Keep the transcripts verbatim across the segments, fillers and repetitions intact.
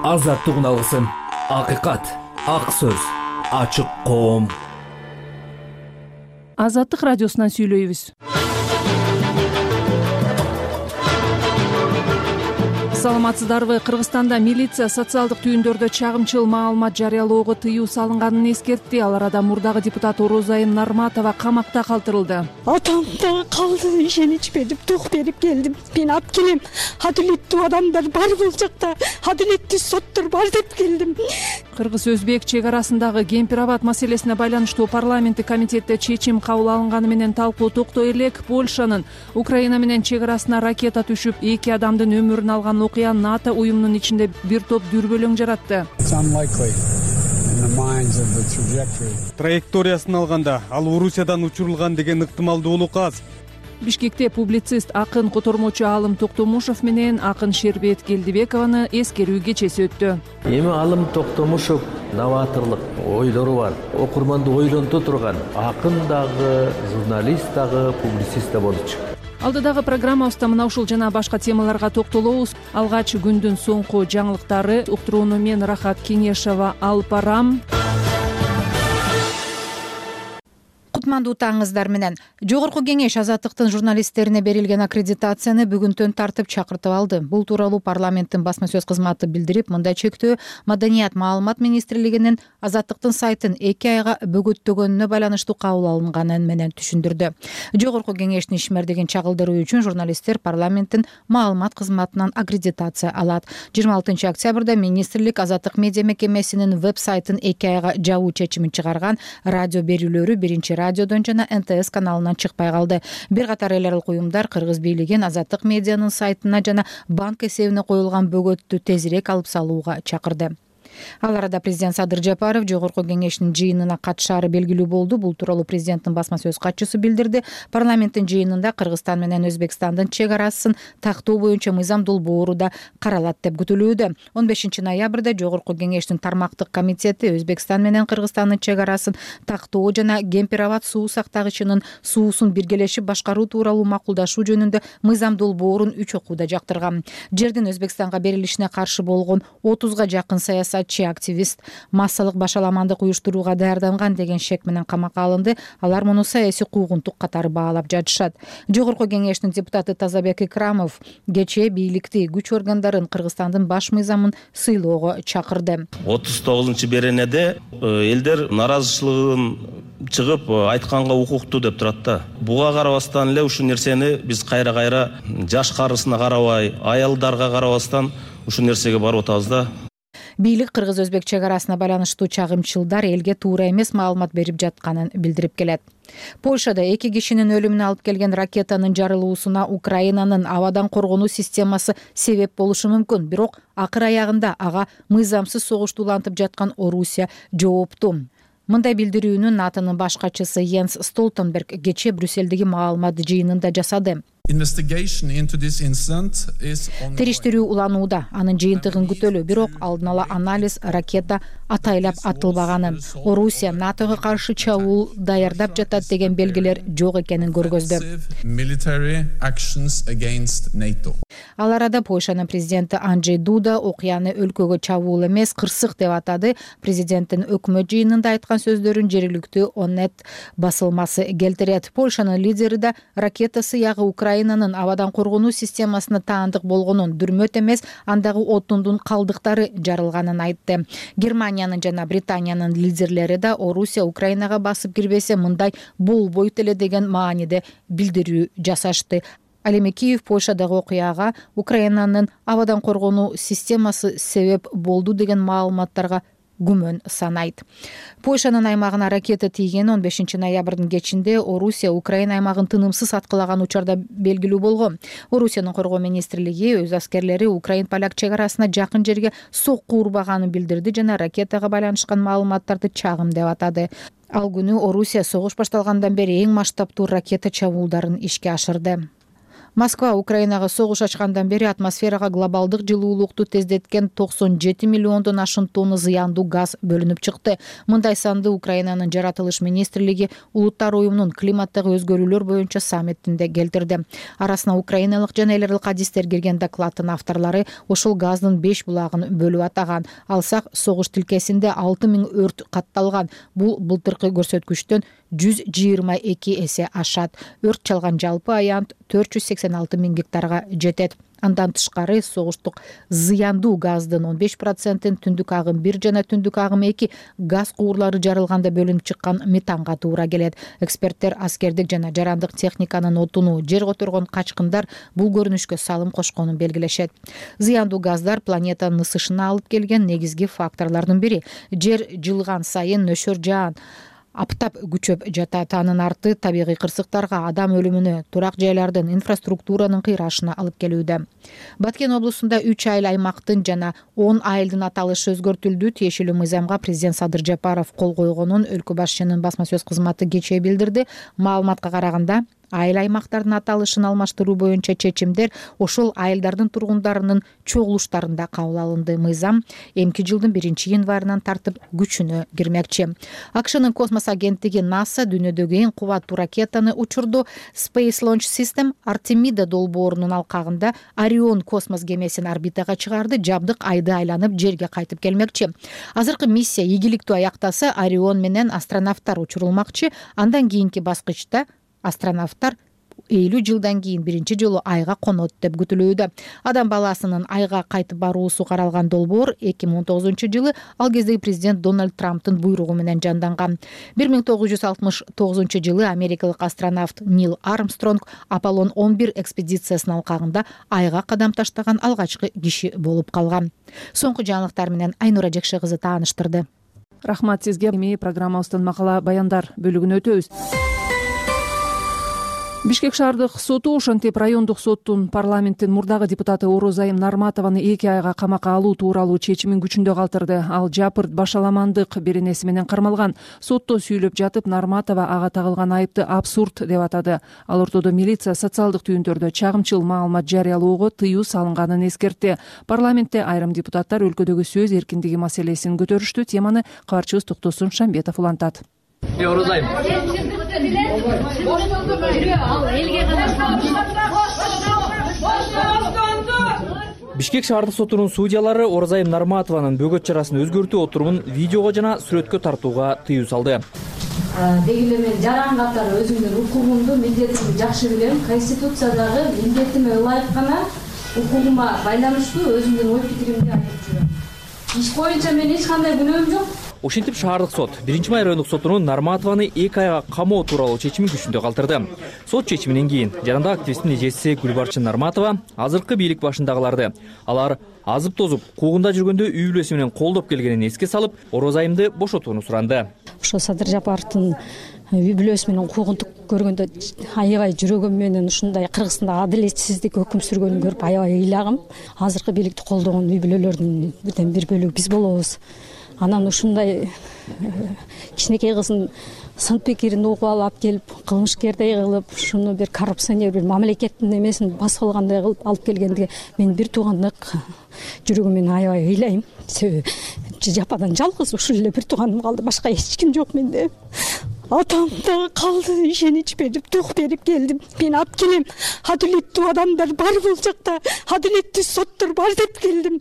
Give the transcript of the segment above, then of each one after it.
азаттык алгысым, акыйкат, ак сөз, ачык коом. Азаттык радиосунан сүйлөйбүз. Саламатсыздарбы? Кыргызстанда милиция социалдык түйүндөрдө чагымчыл маалымат жарыялоого тыюу салынганын эскертти. Ал арада мурдагы депутат Орозайым Нарматова камакта калтырылды. Атам да калды, ишенич берип, тук берип келдим. Мен алып келем. Адилеттүү адамдар бар бул жакта. Адилеттүү соттор бар деп келдим. Кыргыз-өзбек чек арасындагы Кемпир-Абад маселесине байланыштуу парламенттик комитетте чечим кабыл алынганы менен талкуу токтой элек. Польшанын Украина менен чек арасына ракета түшүп, эки адамдын өмүрүн алган окуя НАТО уюмунун ичинде бир топ дүрбөлөң жаратты. Траекториясын алганда ал Орусиядан учурулган деген ыктымалдуулук аз. Бишкекте публицист, акын, котормочу Алым Токтомушов менен акын Шербет Келдибекованы эскерүү кечеси өттү. Эми Алым Токтомушов новаторлук ойлору бар, окурманды ойлонто турган акын дагы, журналист дагы, публицист да болчу. Алдыдагы программабызда мына ушул жана башка темаларга токтолобуз. Алгач күндүн соңку жаңылыктары уктурууну мен Рахат Кеңешова алып барам. Кутмандуу таңыңыздар менен. Жогорку кеңеш азаттыктын журналисттерине берилген аккредитацияны бүгүнтөн тартып чакыртып алды. Бул тууралуу парламенттин басма сөз кызматы билдирип, мындай чектөө Маданият маалымат министрлигинин азаттыктын сайтын эки айга бөгөттөгөнүнө байланыштуу кабыл алынганын менен түшүндүрдү. Жогорку кеңештин ишмердигин чагылдыруу үчүн журналисттер парламенттин маалымат кызматынан аккредитация алат. жыйырма алтынчы октябрда министрлик азаттык медиа мекемесинин веб-сайтын эки айга жабуу чечимин чыгарган. Радио берүүлөрү биринчи радиодон жана эн тэ эс каналынан чыкпай калды. Бир катар эл аралык уюмдар Кыргыз бийлигин азаттык медианын сайтына жана банк эсебине коюлган бөгөттү тезирээк алып салууга чакырды. Ал арада президент Садыр Жапаров жогорку кеңештин жыйынына катышаары белгилүү болду. Бул тууралуу президенттин басма сөз катчысы билдирди. Парламенттин жыйынында Кыргызстан менен Өзбекстандын чек арасын тактоо боюнча мыйзам долбоору да каралат деп күтүлүүдө. он бешинчи ноябрда жогорку кеңештин тармактык комитети Өзбекстан менен Кыргызстандын чек арасын тактоо жана Кемпир-Абад суу сактагычынын суусун биргелешип башкаруу тууралуу макулдашуу жөнүндө мыйзам долбоорун үч окууда жактырган. Жердин Өзбекстанга берилишине каршы болгон отузга жакын саясат активист массалык башаламандык уюштурууга даярданган деген шек менен камакка алынды. Алар муну саясий куугунтук катары баалап жатышат. Жогорку кеңештин депутаты Тазабек Икрамов кечээ бийликти, күч органдарын Кыргызстандын баш мыйзамын сыйлоого чакырды. отуз тогузунчу беренеде элдер наразычылыгын чыгып айтканга укуктуу деп турат да. Буга карабастан эле ушул нерсени биз кайра-кайра жаш карысына карабай, аялдарга карабастан ушул нерсеге барып атабыз да. Бийлик Кыргыз-Өзбек чек арасына байланыштуу чагымчылдар элге туура эмес маалымат берип жатканын билдирип келет. Польшада эки кишинин өлүмүнө алып келген ракетанын жарылуусуна Украинанын абадан коргонуу системасы себеп болушу мүмкүн. Бирок акыр аягында ага мыйзамсыз согуштуулантып жаткан Орусия жооптуу. Мындай билдирүүнү НАТОнун баш катчысы Йенс Столтенберг кечээ Брюссельдеги маалымат жыйынында жасады. Териштирүү уланууда, анын жыйынтыгын күтөлү, бирок алдын ала анализ ракета атайлап атылбаганы, Орусия НАТОго каршы чабуул даярдап жатат деген белгилер жок экенин көргөздү. Ал арада Польшанын президенти Анджей Дуда окуяны өлкөгө чабуул эмес, кырсык деп атады. Президенттин өкмөт жыйынында айткан сөздөрүн жергиликтүү Онет басылмасы келтирет. Польшанын лидери да ракета сыягы Украинанын абадан коргонуу системасына таандык болгонун, дүрмөт эмес, андагы отундун калдыктары жарылганын айтты. Германиянын жана Британиянын лидерлери да Орусия Украинага басып кирбесе мындай болбойт эле деген мааниде билдирүү жасашты. Ал эми Киев Польшадагы окуяга Украинанын абадан коргонуу системасы себеп болду деген маалыматтарга күмөн санайт. Польшанын аймагына ракета тийген он бешинчи ноябрдын кечинде Орусия Украина аймагын тынымсыз аткылаган учурда белгилүү болгон. Орусиянын коргоо министрлиги өз аскерлери Украин-поляк чек арасына жакын жерге сокку урбаганын билдирди жана ракетага байланышкан маалыматтарды чагым деп атады. Ал күнү Орусия согуш башталгандан бери эң масштабтуу ракета чабуулдарын ишке ашырды. Москва Украинага согуш ачкандан бери атмосферага глобалдык жылуулукту тездеткен токсон жети миллиондон ашык тонна зыяндуу газ бөлүнүп чыкты. Мындай санды Украинанын жаратылыш министрлиги Улуттар уюмунун климаттагы өзгөрүүлөр боюнча саммитинде келтирди. Арасына украиналык жана эл аралык адистер кирген докладдын авторлору ушул газдын беш булагын бөлүп атаган. Алсак согуш тилкесинде алты миң өрт катталган. Бул былтыркы көрсөткүчтөн жүз жыйырма эки эсе ашат. Өрт чалган жалпы аянт төрт жүз сексен алты миң гектарга жетет. Андан тышкары согуштук зыяндуу газдын он беш процентин түндүк агым бир жана түндүк агым эки газ куурлары жарылганда бөлүнүп чыккан метанга туура келет. Эксперттер аскердик жана жарандык техниканын отуну жер которгон качкындар бул көрүнүшкө салым кошконун белгилешет. Зыяндуу газдар планетанын ысышына алып келген негизги факторлордун бири. Жер жылган сайын нөшөр жаан аптап күчөп жатат. Анын арты табигый кырсыктарга, адам өлүмүнө, турак жайлардын, инфраструктуранын кыйрашына алып келүүдө. Баткен облусунда үч айыл аймактын жана он айылдын аталышы өзгөртүлдү. Тиешелүү мыйзамга президент Садыр Жапаров кол койгонун өлкө башчынын басма сөз кызматы кечээ билдирди. Маалыматка караганда айыл аймактардын аталышын алмаштыруу боюнча чечимдер ошол айылдардын тургундарынын чогулуштарында кабыл алынды. Мыйзам эмки жылдын биринчи январынан тартып күчүнө кирмекчи. АКШнын космос агенттиги НАСА дүйнөдөгү эң кубаттуу ракетаны учурду. Space Launch System Артемида долбоорунун алкагында Орион космос кемесин орбитага чыгарды. Жабдык айды айланып жерге кайтып келмекчи. Азыркы миссия ийгиликтүү аяктаса, Орион менен астронавттар учурулмакчы. Андан кийинки баскычта астронавттар элүү жылдан кийин биринчи жолу айга конот деп күтүлүүдө. Адам баласынын айга кайтып баруусу каралган долбоор эки миң он тогузунчу жылы ал кездеги президент Дональд Трамптын буйругу менен жанданган. бир миң тогуз жүз алтымыш тогузунчу жылы америкалык астронавт Нил Армстронг Аполлон он бир экспедициясынын алкагында айга кадам таштаган алгачкы киши болуп калган. Соңку жаңылыктар менен Айнура Жекше кызы тааныштырды. Рахмат сизге. Эми программабыздын макала баяндар бөлүгүнө өтөбүз. Бишкек шаардык соту ошентип райондук соттун парламенттин мурдагы депутаты Орозайым Нарматованы эки айга камакка алуу тууралуу чечимин күчүндө калтырды. Ал жапырт башаламандык беренеси менен кармалган. Сотто сүйлөп жатып Нарматова ага тагылган айыпты абсурд деп атады. Ал ортодо милиция социалдык түйүндөрдө чагымчыл маалымат жарыялоого тыюу салынганын эскертти. Парламентте айрым депутаттар өлкөдөгү сөз эркиндиги маселесин көтөрүштү. Теманы кабарчыбыз Токтосун Шамбетов улантат. Орозайым. Бишкек шаардык сотунун судьялары Орозайым Нарматованын бөгөт чарасын өзгөртүү отурумун видеого жана сүрөткө тартууга тыюу салды. Деги эле мен жаран катары өзүмдүн укугумду, милдетимди жакшы билем. Конституциядагы милдетиме ылайык гана укугума байланыштуу өзүмдүн ой пикиримди айтып жүрөм. Иш боюнча мен эч кандай күнөөм жок. Ошентип шаардык сот биринчи май райондук сотунун Нарматованы эки айга камоо тууралуу чечимин күчүндө калтырды. Сот чечиминен кийин жарандык активисттин эжеси Гүлбарчын Нарматова азыркы бийлик башындагыларды алар азып тозуп куугунда жүргөндө үй бүлөсү менен колдоп келгенин эске салып, Орозайымды бошотууну суранды. Ошо Садыр Жапаровдун үй бүлөсү менен куугунтук көргөндө аябай жүрөгүм менен ушундай Кыргызстанда адилетсиздик өкүм сүргөнүн көрүп аябай ыйлагым. Азыркы бийликти колдогон үй бүлөлөрдүн бир бөлүгү биз болобуз. Анан ушундай кичинекей кыздын сын пикирин угуп алып келип, кылмышкердей кылып, ушуну бир коррупционер, бир мамлекеттин эмесин басып алгандай кылып алып келгендиге мен бир туугандык жүрөгүм менен аябай ыйлайм. Себеби жападан жалгыз ушул эле бир тууганым калды, башка эч ким жок менде. Атам да калды, ишенич берип, тук берип келдим. Мен алып келем. Адилеттүү адамдар бар бул жакта, адилеттүү соттор бар деп келдим.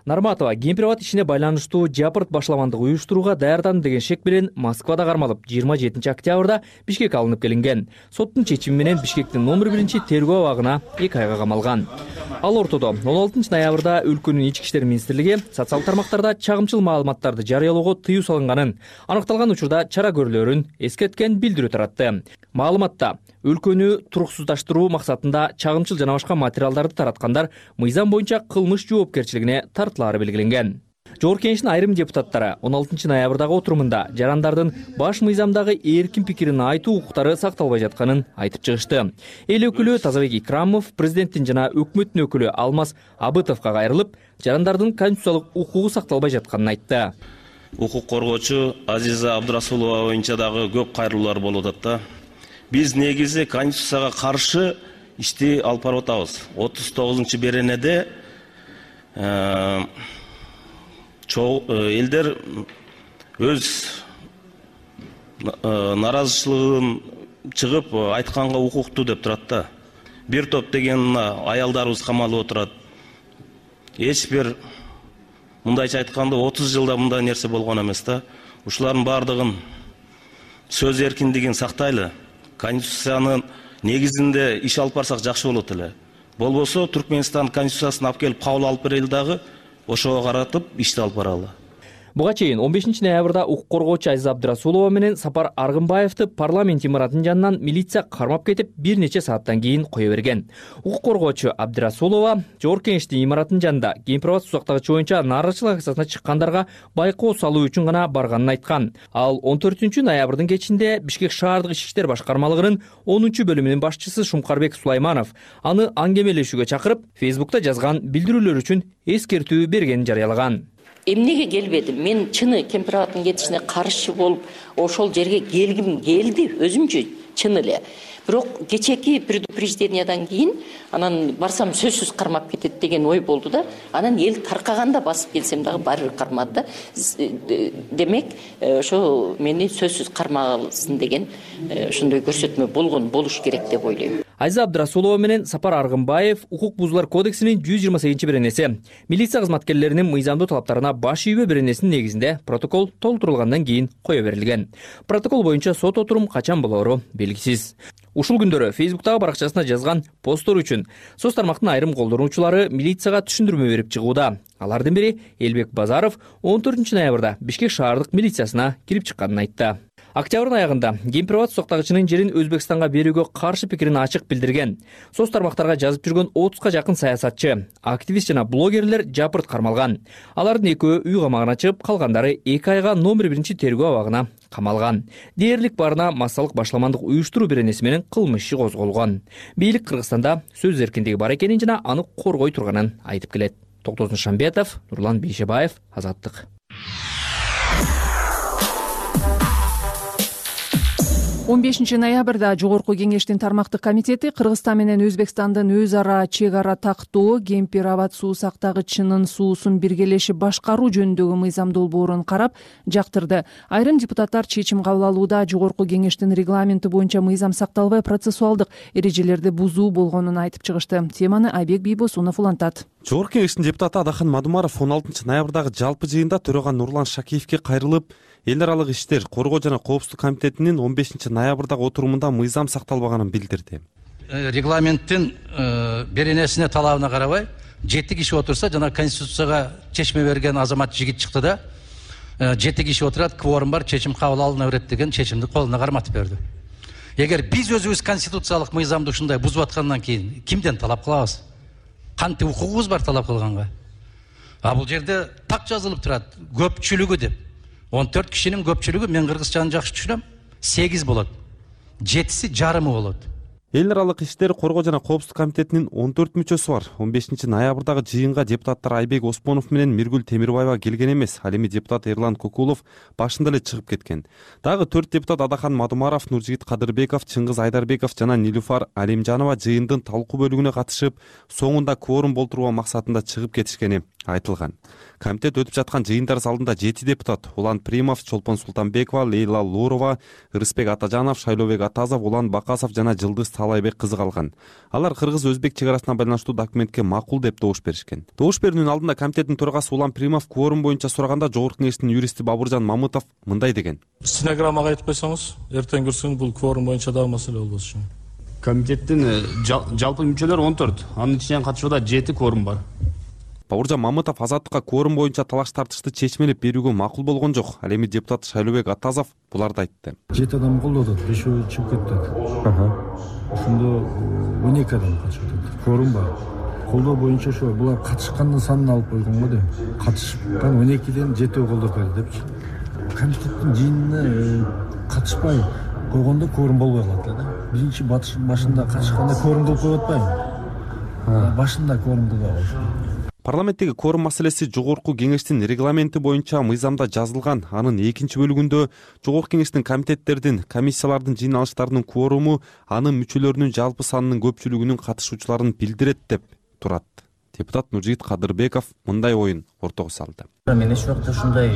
Нарматова кемпир-абад ишине байланыштуу жапырт башаламандык уюштурууга даярдандым деген шек менен Москвада кармалып жыйырма жетинчи октябрда Бишкекке алынып келинген. Соттун чечими менен Бишкектин номер биринчи тергөө абагына эки айга камалган. Ал ортодо он алтынчы ноябрда өлкөнүн ички иштер министрлиги социалдык тармактарда чагымчыл маалыматтарды жарыялоого тыюу салынганын, аныкталган учурда чара көрүлөрүн эскерткен билдирүү таратты. Маалыматта өлкөнү туруксуздаштыруу максатында чагымчыл жана башка материалдарды тараткандар мыйзам боюнча кылмыш жоопкерчилигине тартылаары белгиленген. Жогорку Кеңештин айрым депутаттары он алтынчы ноябрдагы отурумунда жарандардын баш мыйзамдагы эркин пикирин айтуу укуктары сакталбай жатканын айтып чыгышты. Эл өкүлү Тазабек Икрамов президенттин жана өкмөттүн өкүлү Алмаз Абытовго кайрылып, жарандардын конституциялык укугу сакталбай жатканын айтты. Укук коргоочу Азиза Абдурасулова боюнча дагы көп кайрылуулар болуп атат да. Биз негизи конституцияга каршы ишти алып барып атабыз. отуз тогузунчу беренеде элдер өз наразычылыгын чыгып айтканга укуктуу деп турат да. Бир топ деген аялдарыбыз камалып отурат. Эч бир мындайча айтканда отуз жылда мындай нерсе болгон эмес да. Ушулардын бардыгын сөз эркиндигин сактайлы. Конституциянын негизинде иш алып барсак жакшы болот эле. Болбосо Түркмөнстан конституциясын алып келип кабыл алып берели дагы ошого каратып ишти алып баралы. Буга чейин он бешинчи ноябрда укук коргоочу Айза Абдрасулова менен Сапар Аргынбаевди парламент имаратынын жанынан милиция кармап кетип бир нече сааттан кийин кое берген. Укук коргоочу Абдрасулова Жогорку Кеңештин имаратынын жанында Кемпир-Абад сузактагычы боюнча нааразычылык акциясына чыккандарга байкоо салуу үчүн гана барганын айткан. Ал он төртүнчү ноябрдын кечинде Бишкек шаардык ички иштер башкармалыгынын онунчу бөлүмүнүн башчысы Шумкарбек Сулайманов аны аңгемелешүүгө чакырып, Фейсбукта жазган билдирүүлөр үчүн эскертүү бергенин жарыялаган. Эмнеге келбедим? Мен чыны Кемпир-Абадтын кетишине каршы болуп, ошол жерге келгим келди, өзүмчү чын эле. Бирок кечеки предупреждениядан кийин анан барсам сөзсүз кармап кетет деген ой болду да. Анан эл таркаганда басып келсем дагы баары бир кармады да. Демек, ошо мени сөзсүз кармасын деген ошондой көрсөтмө болгон болуш керек деп ойлойм. Айза Абдрасулова менен Сапар Аргынбаев укук бузуулар кодексинин жүз жыйырма сегизинчи беренеси, милиция кызматкерлеринин мыйзамдуу талаптарына баш ийбөө беренесинин негизинде протокол толтурулгандан кийин кое берилген. Протокол боюнча сот отурум качан болоору белгисиз. Ушул күндөрү Фейсбуктагы баракчасына жазган посттор үчүн соц тармактын айрым колдонуучулары милицияга түшүндүрмө берип чыгууда. Алардын бири Элбек Базаров он төртүнчү ноябрда Бишкек шаардык милициясына кирип чыкканын айтты. Октябрдын аягында Кемпир-Абад сузактагычынын жерин Өзбекстанга берүүгө каршы пикирин ачык билдирген. Соц тармактарга жазып жүргөн отузга жакын саясатчы, активист жана блогерлер жапырт кармалган. Алардын экөө үй камагына чыгып, калгандары эки айга номер биринчи тергөө абагына камалган. Дээрлик барына массалык башламандык уюштуруу беренеси менен кылмыш иши козголгон. Бийлик Кыргызстанда сөз эркиндиги бар экенин жана аны коргой турганын айтып келет. Токтосун Шамбетов, Нурлан Бейшебаев, Азаттык. он бешинчи ноябрда Жогорку Кеңештин тармактык комитети Кыргызстан менен Өзбекстандын өз ара чек ара тактоо Кемпир-Абад суу сактагычынын суусун биргелешип башкаруу жөнүндөгү мыйзам долбоорун карап жактырды. Айрым депутаттар чечим кабыл алууда Жогорку Кеңештин регламенти боюнча мыйзам сакталбай процессуалдык эрежелерди бузуу болгонун айтып чыгышты. Теманы Айбек Бийбосунов улантат. Жогорку Кеңештин депутаты Адахан Мадумаров он алтынчы ноябрдагы жалпы жыйында төрөган Нурлан Шакиевке кайрылып, эл аралык иштер, коргоо жана коопсуздук комитетинин он бешинчи ноябрдагы отурумунда мыйзам сакталбаганын билдирди. Регламенттин беренесине талабына карабай жети киши отурса, жана конституцияга чечме берген азамат жигит чыкты да, жети киши отурат, кворум бар, чечим кабыл алына берет деген чечимди колуна карматып берди. Эгер биз өзүбүз конституциялык мыйзамды ушундай бузуп аткандан кийин кимден талап кылабыз? Кантип укугубуз бар талап кылганга? А бул жерде так жазылып турат, көпчүлүгү деп. он төрт кишинин көпчүлүгү, мен кыргызчаны жакшы түшүнөм, сегиз болот. жетиси жарымы болот. Эл аралык иштер, коргоо жана коопсуздук комитетинин он төрт мүчөсү бар. он бешинчи ноябрдагы жыйынга депутаттар Айбек Оспонов менен Миргүл Темирбаева келген эмес. Ал эми депутат Эрлан Кокулов башында эле чыгып кеткен. Дагы төрт депутат Адахан Мадумаров, Нуржигит Кадырбеков, Чыңгыз Айдарбеков жана Нилуфар Алимжанова жыйындын талкуу бөлүгүнө катышып, соңунда кворум болтуруу максатында чыгып кетишкени айтылган. Комитет өтүп жаткан жыйындар залында жети депутат: Улан Примов, Чолпон Султанбекова, Лейла Лурова, Рыспек Атажанов, Шайлообек Атазов, Улан Бакасов жана Жылдыз Талайбек кызы калган. Алар кыргыз-өзбек чек арасына байланыштуу документке макул деп добуш беришкен. Добуш берүүнүн алдында комитеттин төрагасы Улан Примов кворум боюнча сураганда Жогорку Кеңештин юристи Бабуржан Мамытов мындай деген: Стенограммага айтып койсоңуз, эртең көрсөң бул кворум боюнча дагы маселе болбошу үчүн. Комитеттин жалпы мүчөлөрү он төрт, анын ичинен катышууда жети кворум бар. Бабуржан Мамытов Азаттыкка кворум боюнча талаш тартышты чечмелеп берүүгө макул болгон жок. Ал эми депутат Шайлообек Атазов буларды айтты. жети адам колдоду, бешөө чыгып кетти. Ошондо он эки адам катышып кетти. Кворум бар. Колдоо боюнча ошо булар катышкандын санын алып койгон го деп. Катышкан он экиден жетөө колдоп берди депчи. Комитеттин жыйынына катышпай койгондо кворум болбой калат да. Биринчи башында катышканда кворум кылып коюп атпайбы? Башында кворум кылып алыш. Парламенттеги кворум маселеси жогорку кеңештин регламенти боюнча мыйзамда жазылган. Анын экинчи бөлүгүндө жогорку кеңештин комитеттердин, комиссиялардын жыйналыштарынын кворуму анын мүчөлөрүнүн жалпы санынын көпчүлүгүнүн катышуучуларын билдирет деп турат. Депутат Нуржигит Кадырбеков мындай оюн ортого салды. Мен эч убакта ушундай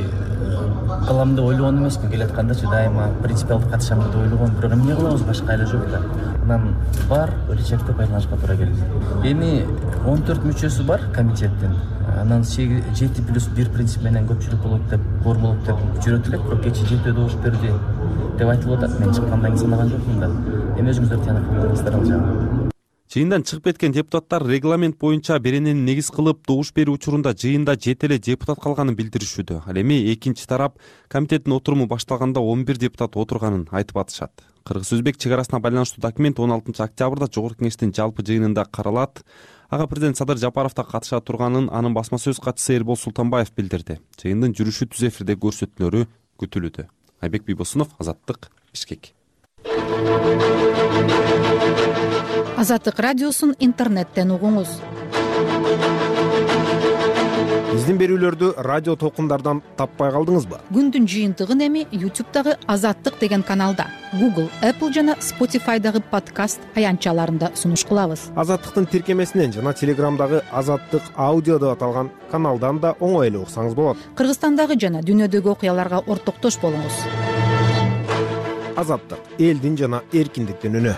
кылам деп ойлогон эмесмин. Келаткандачы дайыма принципиалдуу катышам деп ойлогом. Бирок эмне кылабыз, башка айла жок да. Анан бар рычагды байланышка туура келди. Эми он төрт мүчөсү бар комитеттин. Анан жети плюс бир принцип менен көпчүлүк болот деп, кворум болот деп жүрөт элек, бирок кечээ жетөө добуш берди деп айтылып атат. Мен чыккандан кийин санаган жокмун да. Эми өзүңүздөр тыянак кылыңыздар ал жагы. Жыйындан чыгып кеткен депутаттар регламент боюнча беренени негиз кылып добуш берүү учурунда жыйында жети эле депутат калганын билдиришүүдө. Ал эми экинчи тарап комитеттин отуруму башталганда он бир депутат отурганын айтып атышат. Кыргыз-өзбек чек арасына байланыштуу документ он алтынчы октябрда жогорку кеңештин жалпы жыйынында каралат. Ага президент Садыр Жапаров да катыша турганын анын басма сөз катчысы Эрбол Султанбаев билдирди. Жыйындын жүрүшү түз эфирде көрсөтүлөрү күтүлүүдө. Айбек Бийбосунов, Азаттык, Бишкек. Азаттык радиосун интернеттен угуңуз. Биздин берүүлөрдү радио толкундардан таппай калдыңызбы? Күндүн жыйынтыгын эми YouTube'дагы Азаттык деген каналда, Google, Apple жана Spotify'дагы подкаст аянтчаларында сунуш кылабыз. Азаттыктын тиркемесинен жана Телеграмдагы Азаттык аудио деп аталган каналдан да оңой эле уксаңыз болот. Кыргызстандагы жана дүйнөдөгү окуяларга ортоктош болуңуз. Азаттык — элдин жана эркиндиктин үнү.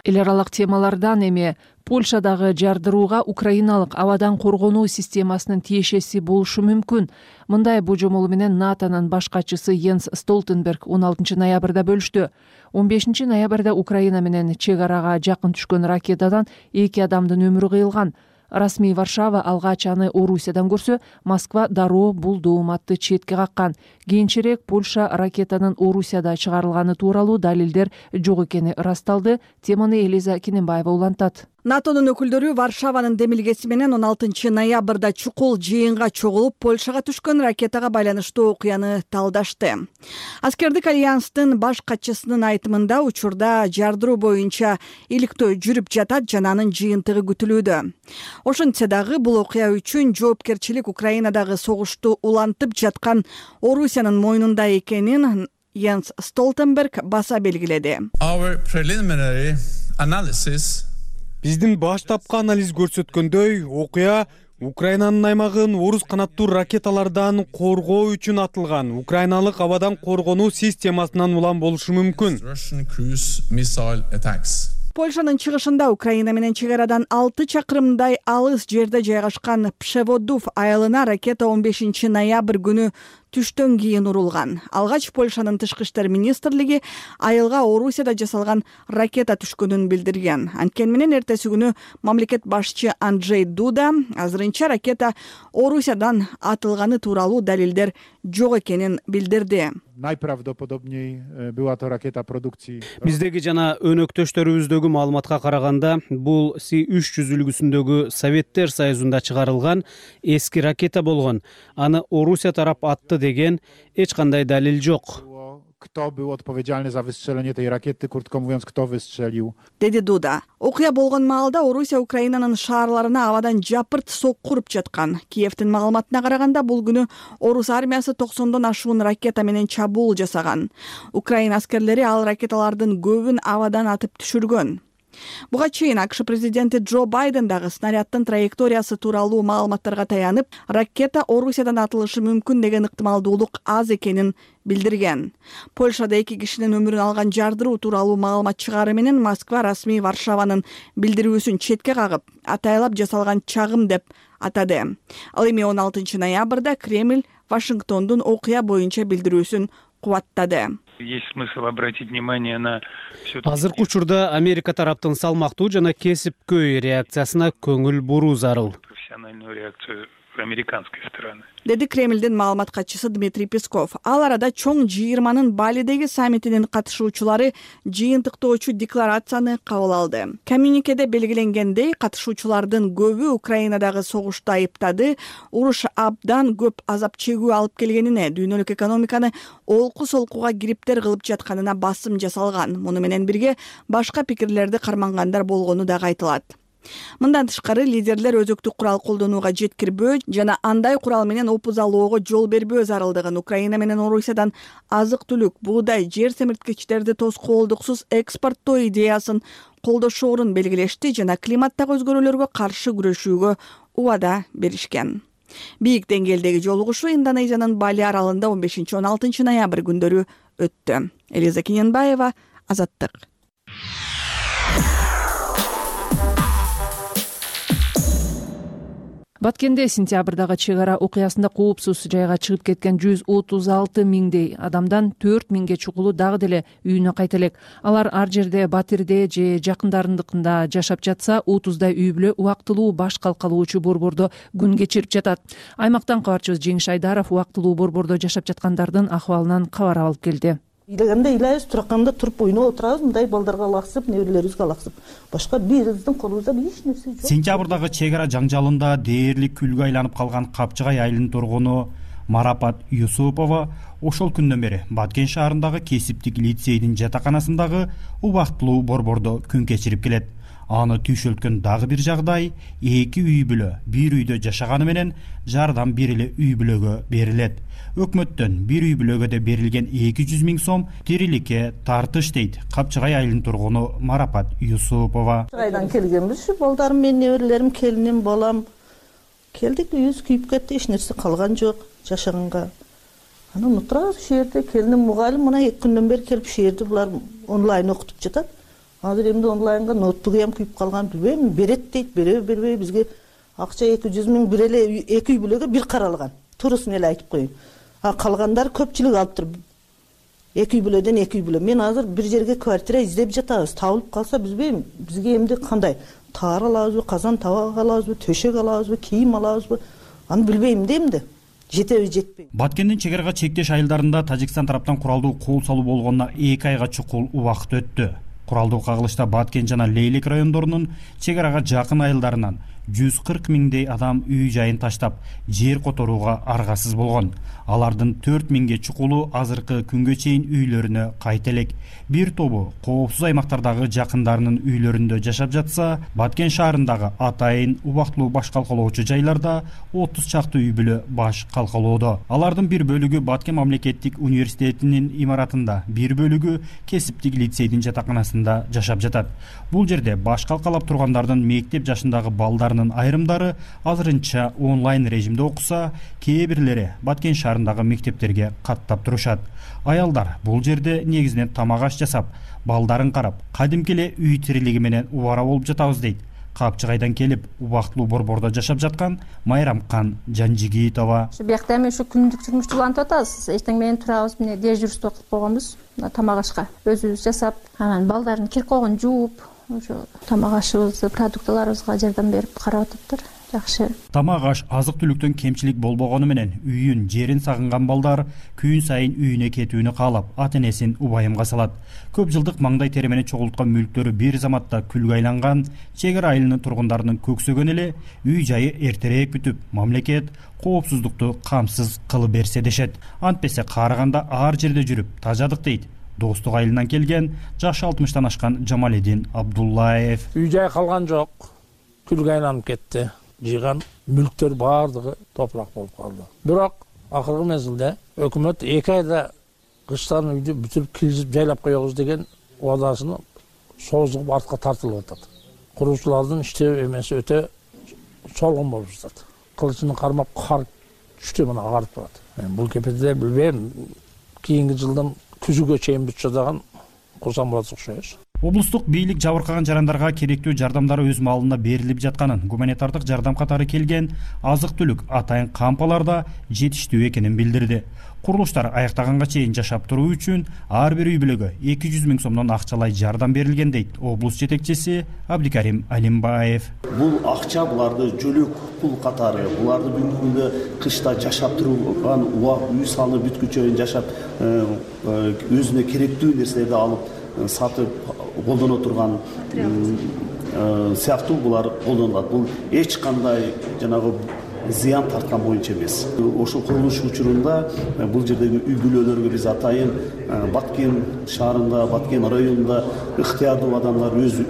Эл аралык темалардан эми Польшадагы жардырууга украиналык абадан коргонуу системасынын тиешеси болушу мүмкүн. Мындай божомол менен НАТОнун баш катчысы Йенс Столтенберг он алтынчы ноябрда бөлүштү. он бешинчи ноябрда Украина менен чек арага жакын түшкөн ракетадан эки адамдын өмүрү кыйылган. Расмий Варшава алгач аны Орусиядан көрсө, Москва дароо бул дооматты четке каккан. Кийинчерээк Польша ракетанын Орусияда чыгарылганы тууралуу далилдер жок экени ырасталды. Теманы Элиза Кененбаева улантат. НАТОнун өкүлдөрү Варшаванын демилгеси менен он алтынчы ноябрда чукул жыйынга чогулуп, Польшага түшкөн ракетага байланыштуу окуяны талдашты. Аскердик альянстын баш катчысынын айтымында учурда жардыруу боюнча иликтөө жүрүп жатат жана анын жыйынтыгы күтүлүүдө. Ошентсе дагы бул окуя үчүн жоопкерчилик Украинадагы согушту улантып жаткан Орусиянын мойнунда экенин Йенс Столтенберг баса белгиледи. Биздин баштапкы анализ көрсөткөндөй, окуя Украинанын аймагын орус канаттуу ракеталардан коргоо үчүн атылган украиналык абадан коргонуу системасынан улам болушу мүмкүн. Польшанын чыгышында Украина менен чек арадан алты чакырымдай алыс жерде жайгашкан Пшеводув айылына ракета он бешинчи ноябрь күнү түштөн кийин урулган. Алгач Польшанын тышкы иштер министрлиги айылга Орусияда жасалган ракета түшкөнүн билдирген. Анткени менен эртеси күнү мамлекет башчы Анджей Дуда азырынча ракета Орусиядан атылганы тууралуу далилдер жок экенин билдирди. Найправдоподобней была то ракета продукции. Биздеги жана өнөктөштөрүбүздөгү маалыматка караганда, бул Си үч жүз үлгүсүндөгү Советтер Союзунда чыгарылган эски ракета болгон. Аны Орусия тарап атты деген эч кандай далил жок. Kto był odpowiedzialny za wystrzelenie tej rakiety, krótko mówiąc, kto wystrzelił. Деди Дуда. Окуя болгон маалда Орусия Украинанын шаарларына абадан жапырт сокку уруп жаткан. Киевдин маалыматына караганда бул күнү орус армиясы токсондон ашуун ракета менен чабуул жасаган. Украина аскерлери ал ракеталардын көбүн абадан атып түшүргөн. Буга чейин АКШ президенти Джо Байден дагы снаряддын траекториясы тууралуу маалыматтарга таянып, ракета Орусиядан атылышы мүмкүн деген ыктымалдуулук аз экенин билдирген. Польшада эки кишинин өмүрүн алган жардыруу тууралуу маалымат чыгаары менен Москва расмий Варшаванын билдирүүсүн четке кагып, атайлап жасалган чагым деп атады. Ал эми он алтынчы ноябрда Кремль Вашингтондун окуя боюнча билдирүүсүн кубаттады. Есть смысл обратить внимание на азыркы учурда Америка тараптын салмактуу жана кесипкөй реакциясына көңүл буруу зарыл. Профессиональную реакцию американской стороны. Деди Кремлдин маалымат катчысы Дмитрий Песков. Ал арада чоң жыйырманын Балидеги саммитинин катышуучулары жыйынтыктоочу декларацияны кабыл алды. Коммюникеде белгиленгендей, катышуучулардын көбү Украинадагы согушту айыптады, уруш абдан көп азап чегүү алып келгенине, дүйнөлүк экономиканы олку-солкуга кириптер кылып жатканына басым жасалган. Муну менен бирге башка пикирлерди кармангандар болгону дагы айтылат. Мындан тышкары лидерлер өзөктүк курал колдонууга жеткирбөө жана андай курал менен опуз алоого жол бербөө зарылдыгын, Украина менен Орусиядан азык-түлүк, буудай, жер семирткичтерди тоскоолдуксуз экспорттоо идеясын колдошоорун белгилешти жана климаттагы өзгөрүүлөргө каршы күрөшүүгө убада беришкен. Бийик деңгээлдеги жолугушуу Индонезиянын Бали аралында он бешинчи он алтынчы ноябрь күндөрү өттү. Элиза Кененбаева, Азаттык. Баткенде сентябрдагы чек ара окуясында коопсуз жайга чыгып кеткен жүз отуз алты миңдей адамдан төрт миңге чукулу дагы деле үйүнө кайта элек. Алар ар жерде Батирде же жакындарындыкында жашап жатса, отуздай үй бүлө убактылуу баш калкалоочу борбордо күн кечирип жатат. Аймактан кабарчыбыз Жеңиш Айдаров убактылуу борбордо жашап жаткандардын акыбалынан кабар алып келди. Үйлөгөндө ыйлайбыз, тураканда туруп ойноп отурабыз, мындай балдарга алаксып, неберелерибизге алаксып. Башка биздин колубузда эч нерсе жок. Сентябрдагы чек ара жаңжалында дээрлик күлгө айланып калган Капчыгай айылынын тургуну Марапат Юсупова ошол күндөн бери Баткен шаарындагы кесиптик лицейдин жатаканасындагы убактылуу борбордо күн кечирип келет. Аны түйшөлткөн дагы бир жагдай эки үй бүлө бир үйдө жашаганы менен жардам бир эле үй бүлөгө берилет. Өкмөттөн бир үй бүлөгө берилген эки жүз миң сом тириликке тартыш дейт Капчыгай айылынын тургуну Марапат Юсупова. Капчыгайдан келгенбиз, балдарым менен, неберелерим, келиним, балам келдик, үйүбүз күйүп кетти, эч нерсе калган жок жашаганга. Анан отурабыз ушул жерде, келиним мугалим, мына эки күндөн бери келип ушул жерде булар онлайн окутуп жатат. Азыр эмди онлайнга ноутбугу ham күйүп калган, билбейм, берет дейт, береби бербейби, бизге акча эки жүз миң бир эле эки үй бүлөгө бир каралган. Турусын эле айтып коеюн. А калгандар көпчүлүк алыптыр. Эки үй бүлөдөн эки үй бүлө. Мен азыр бир жерге квартира издеп жатабыз. Табылып калса билбейм, бизге эмди кандай таар алабызбы, казан табак алабызбы, төшөк алабызбы, кийим алабызбы? Аны билбейм да эмди. Жетеби жетпейби. Баткендин чек арага чектеш айылдарында Тажикстан тараптан куралдуу кол салуу болгонуна эки айга чукул убакыт өттү. Куралдуу кагылышта Баткен жана Лейлек райондорунун чек арага жакын айылдарынан жүз кырк миңдей адам үй жайын таштап, жер которууга аргасыз болгон. Алардын төрт миңге чукулу азыркы күнгө чейин үйлөрүнө кайта элек. Бир тобу коопсуз аймактардагы жакындарынын үйлөрүндө жашап жатса, Баткен шаарындагы атайын убактылуу баш калкалоочу жайларда отуз чакты үй бүлө баш калкалоодо. Алардын бир бөлүгү Баткен мамлекеттик университетинин имаратында, бир бөлүгү кесиптик лицейдин жатаканасында жашап жатат. Бул жерде баш калкалап тургандардын мектеп жашындагы балдарынын айрымдары азырынча онлайн режимде окуса, кээ бирлери Баткен шаарындагы мектептерге каттап турушат. Аялдар бул жерде негизинен тамак аш жасап, балдарын карап, кадимки эле үй тирилиги менен убара болуп жатабыз дейт. Капчыгайдан келип, убактылуу борбордо жашап жаткан Майрамкан Жанжигитова. Ушу биякта эми ушу күндүк турмуш улантып атабыз. Эчтең менен турабыз, мына дежурство кылып койгонбуз. Тамак ашка өзүбүз жасап, анан балдардын кирип койгонун жууп, ошо тамак ашыбызды, продуктыларыбызга жардам берип карап атыптыр. Жакшы. Тамак аш, азык-түлүктөн кемчилик болбогону менен үйүн, жерин сагынган балдар күн сайын үйүнө кетүүнү каалап, ата-энесин убайымга салат. Көп жылдык маңдай тери менен чогулткан мүлктөрү бир заматта күлгө айланган чек ара айылынын тургундарынын көксөгөн эле үй жайы эртерээк бүтүп, мамлекет коопсуздукту камсыз кылып берсе дешет. Антпесе каараганда ар жерде жүрүп тажадык дейт. Достук айылынан келген жашы алтымыштан ашкан Жамаледин Абдуллаев. Үй жай калган жок. Күлгө айланып кетти. Жыйган мүлктөр баардыгы топурак болуп калды. Бирок акыркы мезгилде өкмөт эки айда кыштан үйдү бүтүп киргизип жайлап коебуз деген убадасын созуп артка тартылып атат. Куруучулардын иштөө эмеси өтө чолгон болуп жатат. Кылычын кармап кар түштү мына агарып турат. Бул кепеде билбейм, кийинки жылдан күзүгө чейин бүтүп жатаган курсам болот окшойбуз. Облустук бийлик жабыркаган жарандарга керектүү жардамдар өз маалында берилип жатканын, гуманитардык жардам катары келген азык-түлүк атайын кампаларда жетиштүү экенин билдирди. Курулуштар аяктаганга чейин жашап туруу үчүн ар бир үй бүлөгө эки жүз миң сомдон акчалай жардам берилген дейт облус жетекчиси Абдикарим Алимбаев. Бул акча буларды жөлөк пул катары, буларды бүгүнкү күндө кышта жашап турган, үй салынып бүткүчө жашап өзүнө керектүү нерселерди алып сатып колдоно турган сыяктуу булар колдонулат. Бул эч кандай жанагы зыян тарткан боюнча эмес. Ошол курулуш учурунда бул жердеги үй бүлөлөргө биз атайын Баткен шаарында, Баткен районунда ыктыярдуу адамдар өз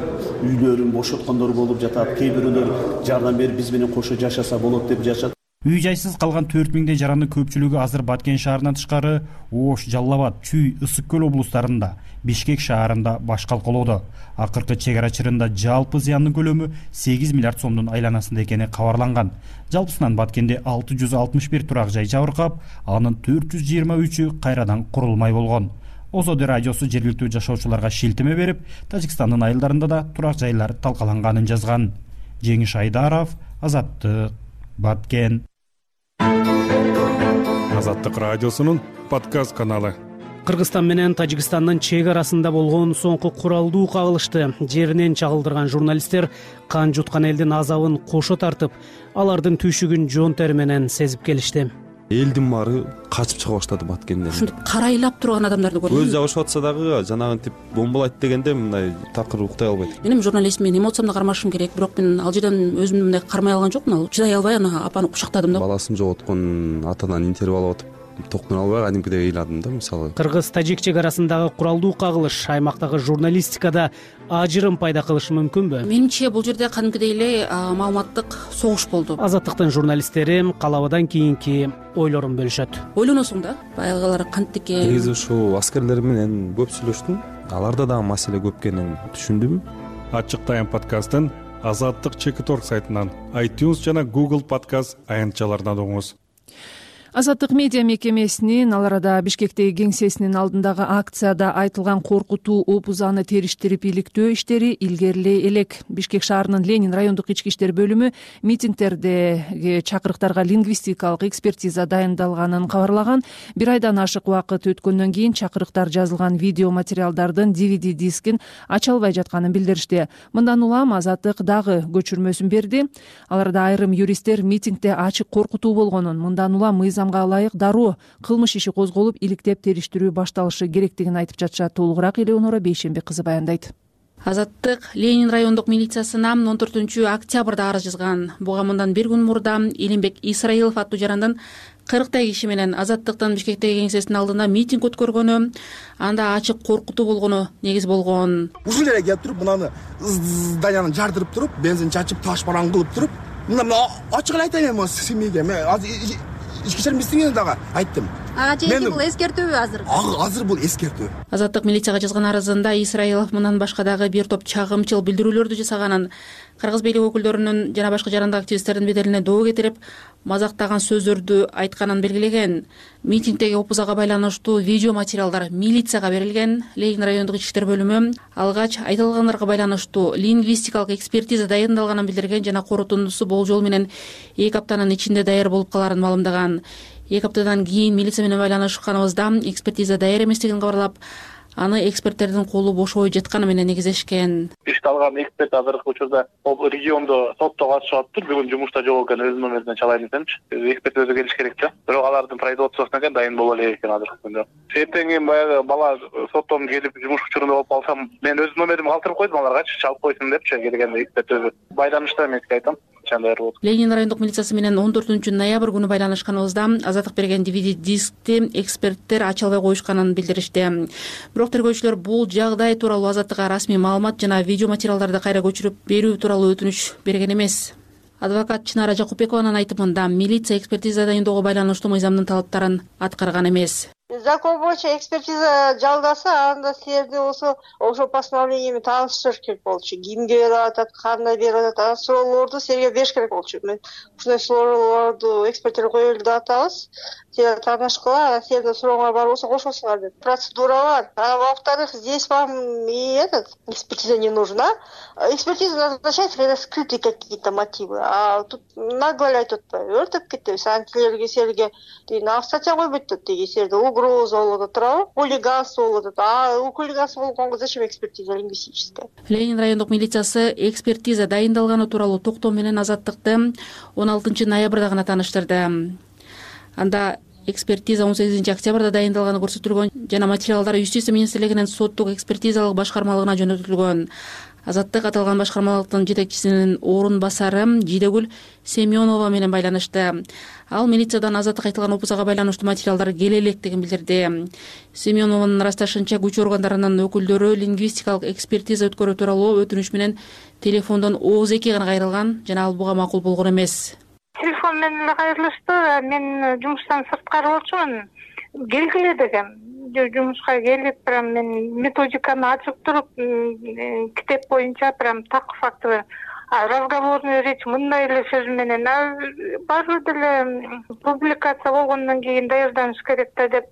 үйлөрүн бошоткондор болуп жатат. Кээ бирөөлөр жардам берип биз менен кошо жашаса болот деп жашат. Үй жайсыз калган төрт миңдей жарандын көпчүлүгү азыр Баткен шаарынан тышкары Ош, Жалал абад, Чүй, Ысык көл облустарында, Бишкек шаарында баш калкалоодо. Акыркы чек ара чырында жалпы зыяндын көлөмү сегиз миллиард сомдун айланасында экени кабарланган. Жалпысынан Баткенде алты жүз алтымыш бир турак жай жабыркап, анын төрт жүз жыйырма үчү кайрадан курулмай болгон. Озоди радиосу жергиликтүү жашоочуларга шилтеме берип, Тажикстандын айылдарында да турак жайлар талкаланганын жазган. Жеңиш Айдаров, Азаттык, Баткен. Азаттык радиосунун подкаст каналы. Кыргызстан менен Тажикстандын чек арасында болгон соңку куралдуу кагылышты жеринен чагылдырган журналисттер кан жуткан элдин азабын кошо тартып, алардын түйшүгүн жон тери менен сезип келишти. Элдин баары качып чыга баштады Баткенден. Ушинтип карайлап турган адамдарды көрдүм. Көз жабышып атса дагы жанагынтип бомбалайт дегенде мындай такыр уктай албайт. Мен журналист, мен эмоциямды кармашым керек, бирок мен ал жерден өзүмдү мындай кармай алган жокмун. Чыдай албай аны апаны кучактадым да. Баласын жоготкон атадан интервью алып атып токтоно албай кадимкидей ыйладым да мисалы. Кыргыз-тажик чек арасындагы куралдуу кагылыш аймактагы журналистикада ажырым пайда кылышы мүмкүнбү? Менимче бул жерде кадимкидей эле маалыматтык согуш болду. Азаттыктын журналисттери калабадан кийинки ойлорун бөлүшөт. Ойлоносуң да, баягылар кантип экен. Негизи ушул аскерлер менен көп сүйлөштүм. Аларда дагы маселе көп экенин түшүндүм. Ачык Тайм подкастын Азаттык чекит точка орг сайтынан, iTunes жана Google подкаст аянтчаларынан угуңуз. Азаттык медиа мекемесинин ал арада Бишкектеги кеңсесинин алдындагы акцияда айтылган коркутуу опузаны териштирип иликтөө иштери илгерилей элек. Бишкек шаарынын Ленин райондук ички иштер бөлүмү митингдердеги чакырыктарга лингвистикалык экспертиза дайындалганын кабарлаган. Бир айдан ашык убакыт өткөндөн кийин чакырыктар жазылган видео материалдардын ди ви ди дискин ача албай жатканын билдиришти. Мындан улам Азаттык дагы көчүрмөсүн берди. Ал арада айрым юристтер митингде ачык коркутуу болгонун, мындан улам мыйзам ылайык дароо кылмыш иши козголуп, иликтеп териштирүү башталышы керектигин айтып жатышат. Толугураак Элеонора Бейшембек кызы баяндайт. Азаттык Ленин райондук милициясына он төртүнчү октябрда арыз жазган. Буга мындан бир күн мурда Элимбек Исраилов аттуу жарандан кырктай киши менен Азаттыктын Бишкектеги кеңсесинин алдында митинг өткөргөнү, анда ачык коркутуу болгону негиз болгон. Ушул жерге келип туруп, мынаны зданияны жардырып туруп, бензин чачып, таш баран кылып туруп, мына ачык эле айтайын эми семьяга мен ички иштер министрлигине дагы айттым. Ага, жеки бул эскертүүбү азыр? Азыр бул эскертүү. Азаттык милицияга жазган арызында Исраилов мындан башка дагы бир топ чагымчыл билдирүүлөрдү жасаганын, кыргыз бийлик өкүлдөрүнүн жана башка жарандык активисттердин беделине доо кетирип, мазактаган сөздөрдү айтканын белгилеген. Митингдеги опузага байланыштуу видео материалдар милицияга берилген. Ленин райондук ички иштер бөлүмү алгач айтылгандарга байланыштуу лингвистикалык экспертиза дайындалганын билдирген жана корутундусу болжол менен эки аптанын ичинде даяр болуп каларын маалымдаган. Эки аптадан кийин милиция менен байланышканыбызда экспертиза даяр эместигин кабарлап, аны эксперттердин колу бошобой жатканы менен негизлешкен. Ишталган эксперт азыркы учурда региондо сотто катышып атыптыр. Бүгүн жумушта жок экен, өзүнүн номеринен чалайын десемчи. Эксперт өзү келиш керек да. Бирок алардын производствосуна экен дайын боло элек экен азыркы күндө. Эртең баягы бала соттон келип жумуш учурунда болуп калсам, мен өзүнүн номеримди калтырып койдум аларгачы, чалып койсун депчи, келгенде эксперт өзү. Байланышта эмеске айтам. Ленин райондук милициясы менен он төртүнчү ноябрь күнү байланышканыбызда Азаттык берген ди ви ди дискти эксперттер ача албай коюшканын билдиришти. Бирок тергөөчүлөр бул жагдай тууралуу Азаттыкка расмий маалымат жана видео материалдарды кайра көчүрүп берүү тууралуу өтүнүч берген эмес. Адвокат Чынара Жакупбекованын айтымында милиция экспертиза дайындоого байланыштуу мыйзамдын талаптарын аткарган эмес. Закон боюнча экспертиза жалдаса, анда силерди болсо ошол постановлениями тааныштырыш керек болчу. Кимге берип атат, кандай берип атат, анан суроолорду силерге бериш керек болчу. Мен ушундай суроолорду эксперттерге коелу деп атабыз. Силер таанышкыла, силердин сурооңор бар болсо кошосуңар деп. Процедура бар. А во-вторых, здесь вам и этот экспертиза не нужна. Экспертиза назначается, когда скрыты какие-то мотивы. А тут нагло эле айтып атпайбы, өртөп кетебиз. Анан силерге силерге деген статья койбойт деги, силерде угроза болуп атат, туурабы? Хулиганство болуп атат. А у хулиганство болгонго зачем экспертиза лингвистическая? Ленин райондук милициясы экспертиза дайындалганы тууралуу токтоо менен Азаттыкты он алтынчы ноябрда гана тааныштырды. Анда экспертиза он сегизинчи октябрда дайындалганы көрсөтүлгөн жана материалдар Юстиция министрлигинин соттук экспертизалык башкармалыгына жөнөтүлгөн. Азаттык аталган башкармалыктын жетекчисинин орун басары Жидегүл Семенова менен байланышты. Ал милициядан Азаттык айтылган опузага байланыштуу материалдар келе электигин билдирди. Семенованын ырасташынча күч органдарынын өкүлдөрү лингвистикалык экспертиза өткөрүү тууралуу өтүнүч менен телефондон ооз эки гана кайрылган жана ал буга макул болгон эмес. Телефон менен эле кайрылышты. Мен жумуштан сырткары болчумун. Келгиле дегем. Жумушка келип, прям мен методиканы ачып туруп, китеп боюнча прям так факты разговорный речь мындай эле сөз менен баары деле публикация болгондон кийин даярданыш керек да деп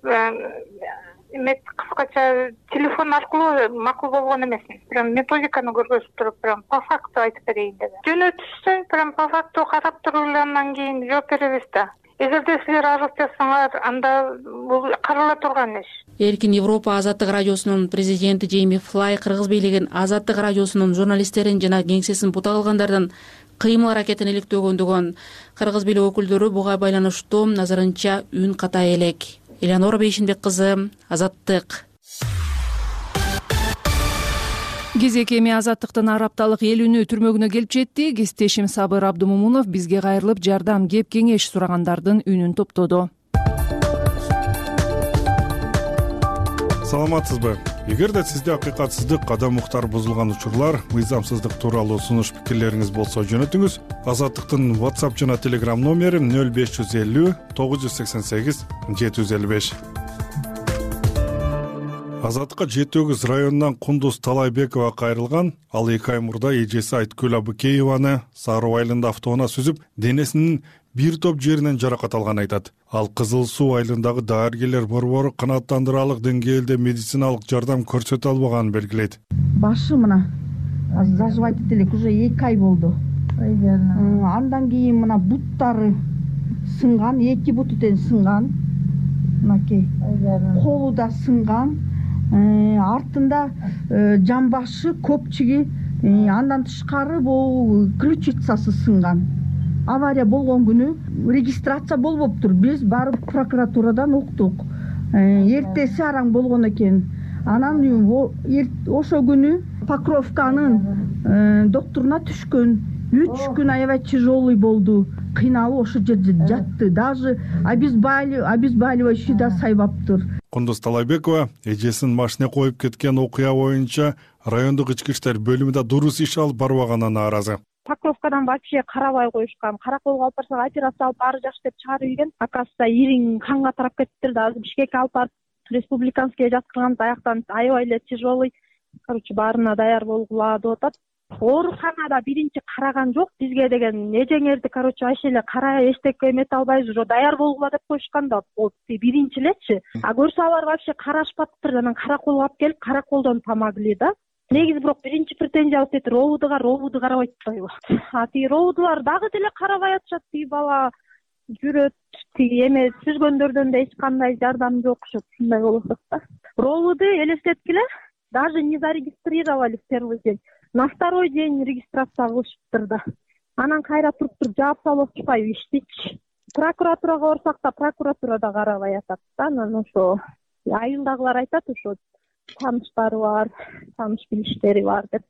эме кыскача телефон аркылуу макул болгон эмес. Прям методиканы көргөзүп туруп, прям по факту айтып берейин деп. Жөнөтүшсөң, прям по факту карап туруп эле андан кийин жооп беребиз да. Эгерде силер арыз жазсаңар, анда бул карала турган иш. Эркин Европа Азаттык радиосунун президенти Джейми Флай Кыргыз бийлигин Азаттык радиосунун журналисттерин жана кеңсесин бута кылгандардан кыймыл аракетин иликтөгөндүгөн. Кыргыз бийлик өкүлдөрү буга байланыштуу назарынча үн катай элек. Элеонора Бейшинбек кызы, Азаттык. Кезек эми Азаттыктын ар апталык эл үнү түрмөгүнө келип жетти. Кесиптешим Сабыр Абдымомунов бизге кайрылып жардам, кеп кеңеш сурагандардын үнүн топтоду. Саламатсызбы? Эгерде сизде акыйкатсыздык, кадам уктар бузулган учурлар, мыйзамсыздык тууралуу сунуш пикирлериңиз болсо жөнөтүңүз. Азаттыктын WhatsApp жана Telegram номери нөл беш жүз элүү тогуз жүз сексен сегиз жети жүз элүү беш. Азаттыкка жети өгүз районунан Кундуз Талайбекова кайрылган. Ал эки ай мурда эжеси Айткүл Абыкееваны Сароо айылында автоунаа сүзүп, денесинин бир топ жеринен жаракат алганын айтат. Ал Кызыл Суу айылындагы дарыгерлер борбору канааттандырарлык деңгээлде медициналык жардам көрсөтө албаганын белгилейт. Башы мына заживать этели уже эки ай болду. Андан кийин мына буттары сынган, эки буту тең сынган. Мынакей. Колу да сынган. Артында жамбашы, көпчиги, андан тышкары бул ключицасы сынган. Авария болгон күнү регистрация болбоптур. Биз барып прокуратурадан уктук. Эртеси араң болгон экен. Анан ошо күнү Покровканын докторуна түшкөн. үч күн аябай тяжелый болду. Кыйналып ошо жерде жатты. Даже обезболивающий да сайбаптыр. Кундуз Талайбекова эжесин машина коюп кеткен окуя боюнча райондук ички иштер бөлүмүндө дурус иш алып барбаганына нааразы. Покровкадан вообще карабай коюшкан. Караколго алып барсак операция алып баары жакшы деп чыгарып ийген. Оказывается, ириң канга тарап кетиптир да. Азыр Бишкекке алып барып республиканский жаткырган, аяктан аябай эле тяжелый. Короче, баарына даяр болгула деп атат. Ооруканада биринчи караган жок бизге деген эжеңерди, короче, аш эле кара эчтекке эмете албайбыз, уже даяр болгула деп коюшкан да. Биринчи элечи. А көрсө алар вообще карашпаптыр. Анан караколго алып келип, караколдон помогли да. Негизи бирок биринчи претензия алып кетти, ровудуга, ровуду карабайт атпайбы. А тиги ровудулар дагы деле карабай атышат. Тиги бала жүрөт, тиги эме сүзгөндөрдөн да эч кандай жардам жок окшот. Ушундай болуп атат да. Ровуду элестеткиле, даже не зарегистрировали в первый день. На второй день регистрация кылышыптыр да. Анан кайра туруп туруп жаап салып атышпайбы иштичи. Прокуратурага барсак да прокуратура да карабай атат да. Анан ошо айылдагылар айтат, ошо тааныштары бар, тааныш билиштери бар деп.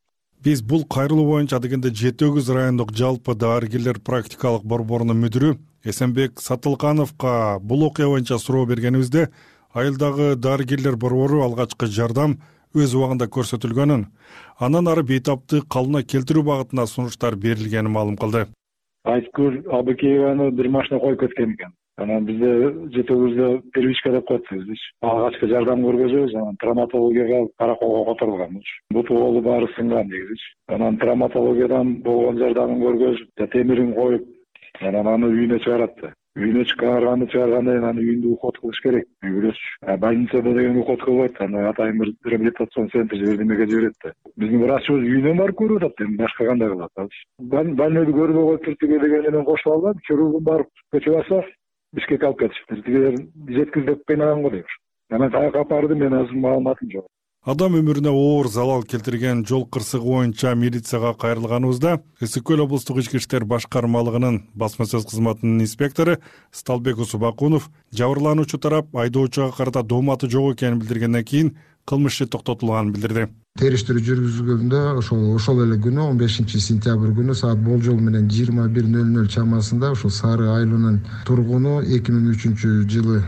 Биз бул кайрылуу боюнча дегенде жети өгүз райондук жалпы дарыгерлер практикалык борборунун мүдүрү Эсенбек Сатылкановго бул окуя боюнча суроо бергенибизде, айылдагы дарыгерлер борбору алгачкы жардам өз убагында көрсөтүлгөнүн, андан ары бейтаптык калыбына келтирүү багытында сунуштар берилгенин маалым кылды. Айткүл Абыкееваны бир машина коюп кеткен экен. Анан бизде жети өгүздө первичка деп коет биз. Алгачкы жардам көргөзөбүз, анан травматологияга караколго которулган. Буту колу баары сынган дегизичи. Анан травматологиядан болгон жардамын көргөзүп, темирин коюп, анан аны үйүнө чыгарат да. Үйүнө чыгарганды чыгаргандан кийин аны үйүндө уход кылыш керек. Үйгүлөч. Больницада деген уход кылбайт. Аны атайын бир реабилитацион центр жибердимеге жиберет да. Биздин врачыбыз үйүнөн барып көрүп атат, эми башка кандай кылат алчы. Больнойду көрбөй коюп түртүгө деген менен кошуп алган, хирургун барып көчүп алса, Бишкекке алып кетишиптир. Тигилер жеткиз деп кыйнаган го дейбир. Анан каяка алып барды, мен азыр маалыматым жок. Адам өмүрүнө оор залал келтирген жол кырсыгы боюнча милицияга кайрылганыбызда Ысык көл облустук ички иштер башкармалыгынын басма сөз кызматынын инспектору Сталбек Усубакунов жабырлануучу тарап айдоочуга карата дооматы жок экенин билдиргенден кийин кылмыш иши токтотулганын билдирди. Териштирүү жүргүзүлгөндө ошол ошол эле күнү он бешинчи сентябрь күнү саат болжол менен жыйырма бир нөл нөл чамасында ушул Сары Айылынын тургуну эки миң үчүнчү жылы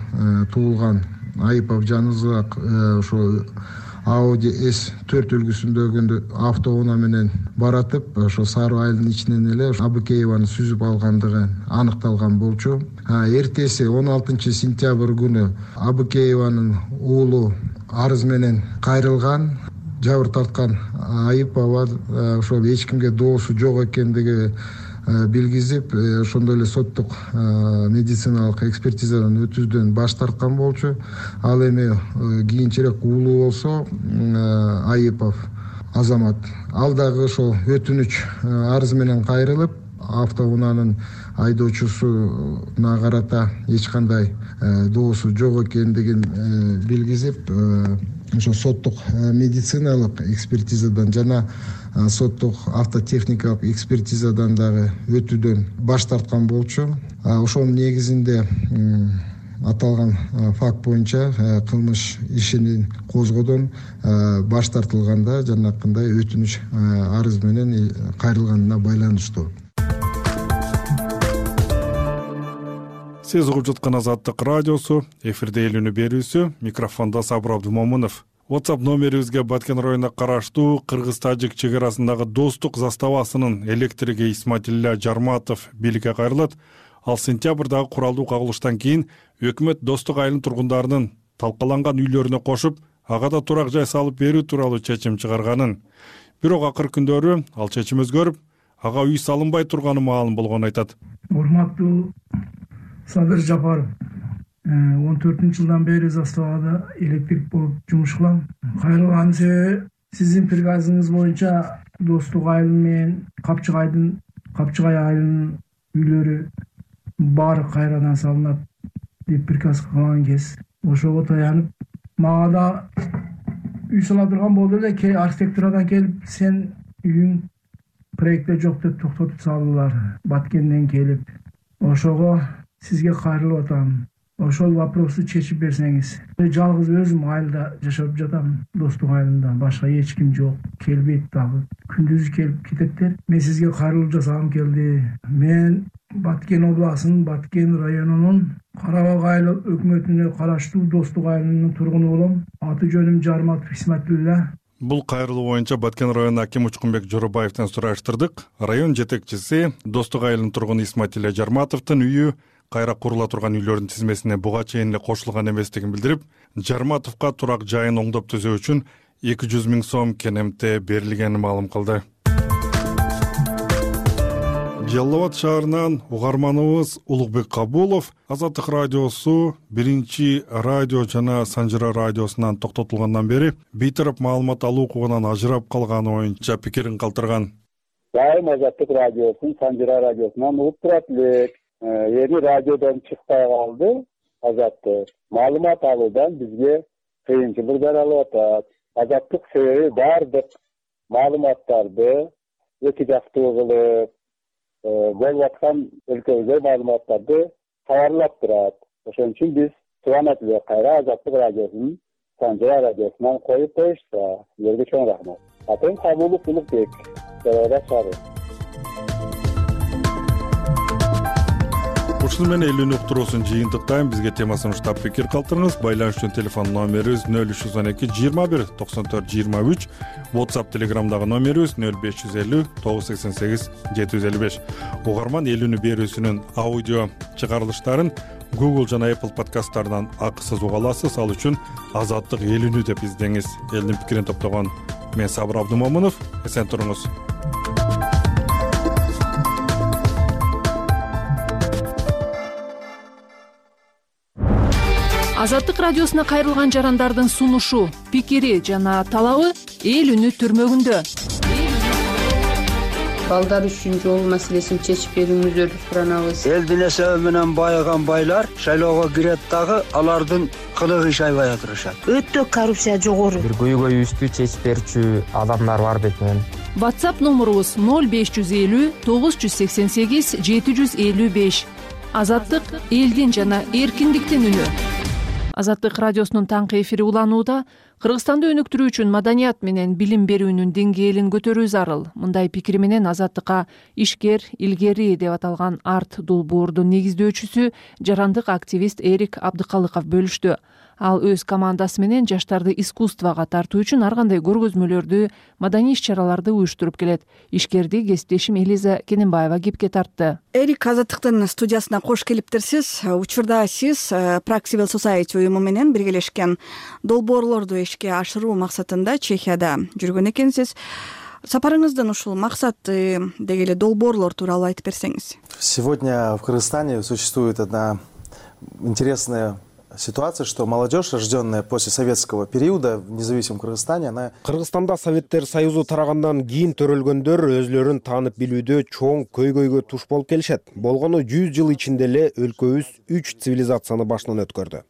туулган Айыпов Жанызак ошол Audi эс төрт үлгүсүндөгү автоунаа менен баратып ошо Сары Айылдын ичинен эле Абыкееваны сүзүп алгандыгы аныкталган болчу. Эртеси он алтынчы сентябрь күнү Абыкееванын уулу арыз менен кайрылган. Жабыр тарткан Айыпова ошол эч кимге доосу жок экендиги билгизип, ошондой эле соттук медициналык экспертизадан өтүүдөн баш тарткан болчу. Ал эми кийинчерээк уулу болсо Айыпов Азамат ал дагы ошол өтүнүч арыз менен кайрылып, автоунаанын айдоочусуна карата эч кандай доосу жок экендигин билгизип, ошо соттук медициналык экспертизадан жана соттук автотехникалык экспертизадан дагы өтүүдөн баш тарткан болчу. Ошонун негизинде аталган факт боюнча кылмыш ишин козгоодон баш тартылганда жанакындай өтүнүч арыз менен кайрылганына байланыштуу. Сиз угуп жаткан Азаттык радиосу, эфирде Элүүнү берүүсү, микрофондо Сабыр Абдумомунов. WhatsApp номерибизге Баткен районуна караштуу Кыргыз-Тажик чек арасындагы достук заставасынын электриги Исматилля Жарматов бийликке кайрылат. Ал сентябрдагы куралдуу кагылыштан кийин өкмөт Достук айылынын тургундарынын талкаланган үйлөрүнө кошуп, ага да турак жай салып берүү тууралуу чечим чыгарганын. Бирок акыркы күндөрү ал чечим өзгөрүп, ага үй салынбай турганы маалым болгонун айтат. Урматтуу Садыр Жапаров, он төртүнчү жылдан бери заставада электрик болуп жумуш кылам. Кайрылган себеби сиздин приказыңыз боюнча Достук айыл менен Капчыгайдын Капчыгай айылынын үйлөрү баары кайрадан салынат деп приказ кылган кез ошого таянып, мага да үй сала турган болду эле, архитектурадан келип сен үйүң проектте жок деп токтотуп салдылар. Баткенден келип ошого сизге кайрылып атам. Ошол вопросту чечип берсеңиз. Жалгыз өзүм айылда жашап жатам, Достук айылында. Башка эч ким жок. Келбейт дагы. Күндүз келип кететтер. Мен сизге кайрылып жасагым келди. Мен Баткен областынын Баткен районунун Карабак айыл өкмөтүнө караштуу Достук айылынын тургуну болом. Аты жөнүм Жарматов Исматилля. Бул кайрылуу боюнча Баткен районунун акими Учкунбек Жоробаевден сураштырдык. Район жетекчиси Достук айылынын тургуну Исматилля Жарматовдун үйү кайра курула турган үйлөрдүн тизмесине буга чейин эле кошулган эместигин билдирип, Жарматовго турак жайын оңдоп түзөө үчүн эки жүз миң сом кенемте берилгенин маалым кылды. Жалал Абад шаарынан угарманыбыз Улукбек Кабулов Азаттык радиосу биринчи радио жана Санжыра радиосунан токтотулгандан бери бейтарап маалымат алуу укугунан ажырап калганы боюнча пикирин калтырган. Дайым Азаттык радиосун Санжыра радиосунан угуп турат элек. Эми радиодон чыкпай калды. Азаттык маалымат алуудан бизге кыйынчылык жаралып атат. Азаттык себеби баардык маалыматтарды эки жактуу кылып болуп аткан өлкөбүздө маалыматтарды кабарлап турат. Ошон үчүн биз субанат эле кайра Азаттык радиосунун Санжыра радиосунан коюп коюшса, силерге чоң рахмат. Атым Кабулов Улукбек, Жалал Абад шаары. Ушуну менен Элүүнү уктуруусун жыйынтыктайм. Бизге темасын уштап пикир калтырыңыз. Байланыш үчүн телефон номерибиз нөл үч жүз он эки жыйырма бир токсон төрт жыйырма үч, WhatsApp Telegramдагы номерибиз нөл беш жүз элүү тогуз жүз сексен сегиз жети жүз элүү беш. Угарман Элүүнү берүүсүнүн аудио чыгарылыштарын Google жана Apple подкасттарынан акысыз уга аласыз. Ал үчүн Азаттык Элүүнү деп издеңиз. Элдин пикирин топтогон мен Сабыр Абдумомунов. Эсен туруңуз. Азаттык радиосуна кайрылган жарандардын сунушу, пикири жана талабы эл үнү түрмөгүндө. Балдар үчүн жол маселесин чечип берүүңүздөрдү суранабыз. Элдин эсеби менен байыган байлар шайлоого кирет дагы алардын кылыгы иш аябай атырышат. Өтө коррупция жогору. Бир көйгөйүбүздү чечип берүүчү адамдар бар бетинен. WhatsApp номерубуз нөл беш жүз элүү тогуз жүз сексен сегиз жети жүз элүү беш. Азаттык элдин жана эркиндиктин үнү. Азаттык радиосунун таңкы эфири уланууда. Кыргызстанды өнүктүрүү үчүн маданият менен билим берүүнүн деңгээлин көтөрүү зарыл. Мындай пикири менен Азаттыкка ишкер, илгери деп аталган арт долбоордун негиздөөчүсү, жарандык активист Эрик Абдыкалыков бөлүштү. Ал өз командасы менен жаштарды искусствого тартуу үчүн ар кандай көргөзмөлөрдү, маданий иш-чараларды уюштуруп келет. Ишкерди кесиптешим Элиза Кененбаева кепке тартты. Эрик Азаттыктын студиясына кош келиптирсиз. Учурда сиз Prague Civil Society уюму менен биргелешкен долбоорлорду ишке ашыруу максатында Чехияда жүргөн экенсиз. Сапарыңыздын ушул максаты деги эле долбоорлор тууралуу айтып берсеңиз. Сегодня в Кыргызстане существует одна интересная ситуация, что молодежь, рожденная после советского периода в независимом Кыргызстане, она... Кыргызстанда Советтер Союзу тарагандан кийин төрөлгөндөр өзлөрүн таанып билүүдө чоң көйгөйгө туш болуп келишет. Болгону жүз жыл ичинде эле өлкөбүз үч цивилизацияны башынан өткөрдү.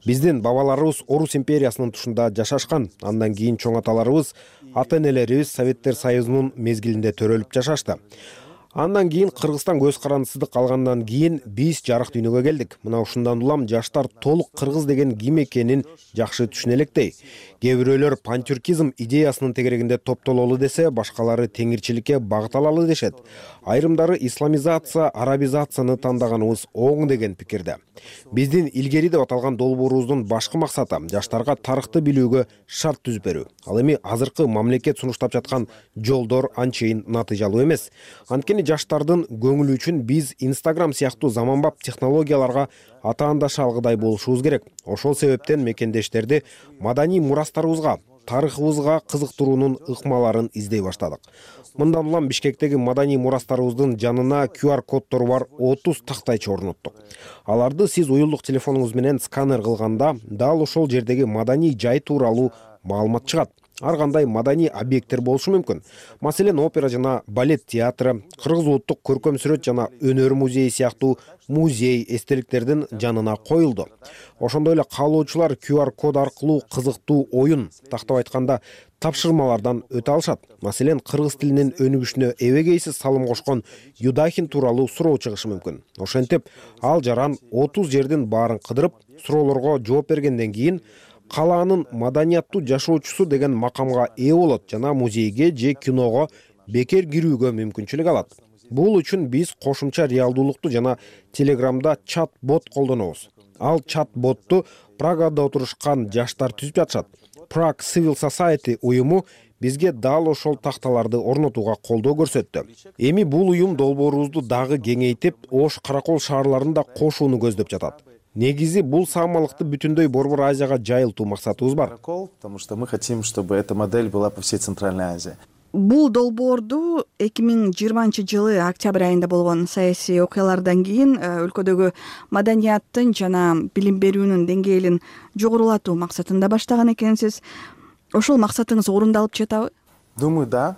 Биздин бабаларыбыз Орус империясынын тушунда жашашкан. Андан кийин чоң аталарыбыз, ата-энелерибиз Советтер Союзунун мезгилинде төрөлүп жашашты. Андан кийин Кыргызстан көз карандысыздык алгандан кийин биз жарык дүйнөгө келдик. Мына ушундан улам жаштар толук кыргыз деген ким экенин жакшы түшүнө электей. Кээ бирөөлөр пантюркизм идеясынын тегерегинде топтололу десе, башкалары теңирчиликке багыт алалы дешет. Айрымдары исламизация, арабизацияны тандаганыбыз оң деген пикирде. Биздин илгери деп аталган долбоорубуздун башкы максаты жаштарга тарыхты билүүгө шарт түзүп берүү. Ал эми азыркы мамлекет сунуштап жаткан жолдор анчейин натыйжалуу эмес. Анткени жаштардын көңүлү үчүн биз Instagram сыяктуу заманбап технологияларга атаандаша алгыдай болушубуз керек. Ошол себептен мекендештерди маданий мурастарыбызга, тарыхыбызга кызыктыруунун ыкмаларын издей баштадык. Мындан улам Бишкектеги маданий мурастарыбыздын жанына ку ар коддору бар отуз тактайчы орноттук. Аларды сиз уюлдук телефонуңуз менен сканер кылганда дал ошол жердеги маданий жай тууралуу маалымат чыгат. Ар кандай маданий объекттер болушу мүмкүн. Маселен, опера жана балет театры, Кыргыз улуттук көркөм сүрөт жана өнөр музейи сыяктуу музей эстеликтердин жанына коюлду. Ошондой эле каалоочулар ку ар код аркылуу кызыктуу оюн, тактап айтканда тапшырмалардан өтө алышат. Маселен, кыргыз тилинин өнүгүшүнө эбегейсиз салым кошкон Юдахин тууралуу суроо чыгышы мүмкүн. Ошентип, ал жаран отуз жердин баарын кыдырып, суроолорго жооп бергенден кийин калаанын маданияттуу жашоочусу деген макамга ээ болот жана музейге же киного бекер кирүүгө мүмкүнчүлүк алат. Бул үчүн биз кошумча реалдуулукту жана Телеграмда чат-бот колдонобуз. Ал чат-ботту Прагада отурушкан жаштар түзүп жатышат. Prague Civil Society уюму бизге дал ошол такталарды орнотууга колдоо көрсөттү. Эми бул уюм долбоорубузду дагы кеңейтип, Ош, Каракол шаарларын да кошууну көздөп жатат. Негизи бул саамалыкты бүтүндөй Борбор Азияга жайылтуу максатыбыз бар. Потому что мы хотим, чтобы эта модель была по всей Центральной Азии. Бул долбоорду эки миң жыйырманчы жылы октябрь айында болгон саясий окуялардан кийин өлкөдөгү маданияттын жана билим берүүнүн деңгээлин жогорулатуу максатында баштаган экенсиз. Ошол максатыңыз орундалып жатабы? Думаю, да.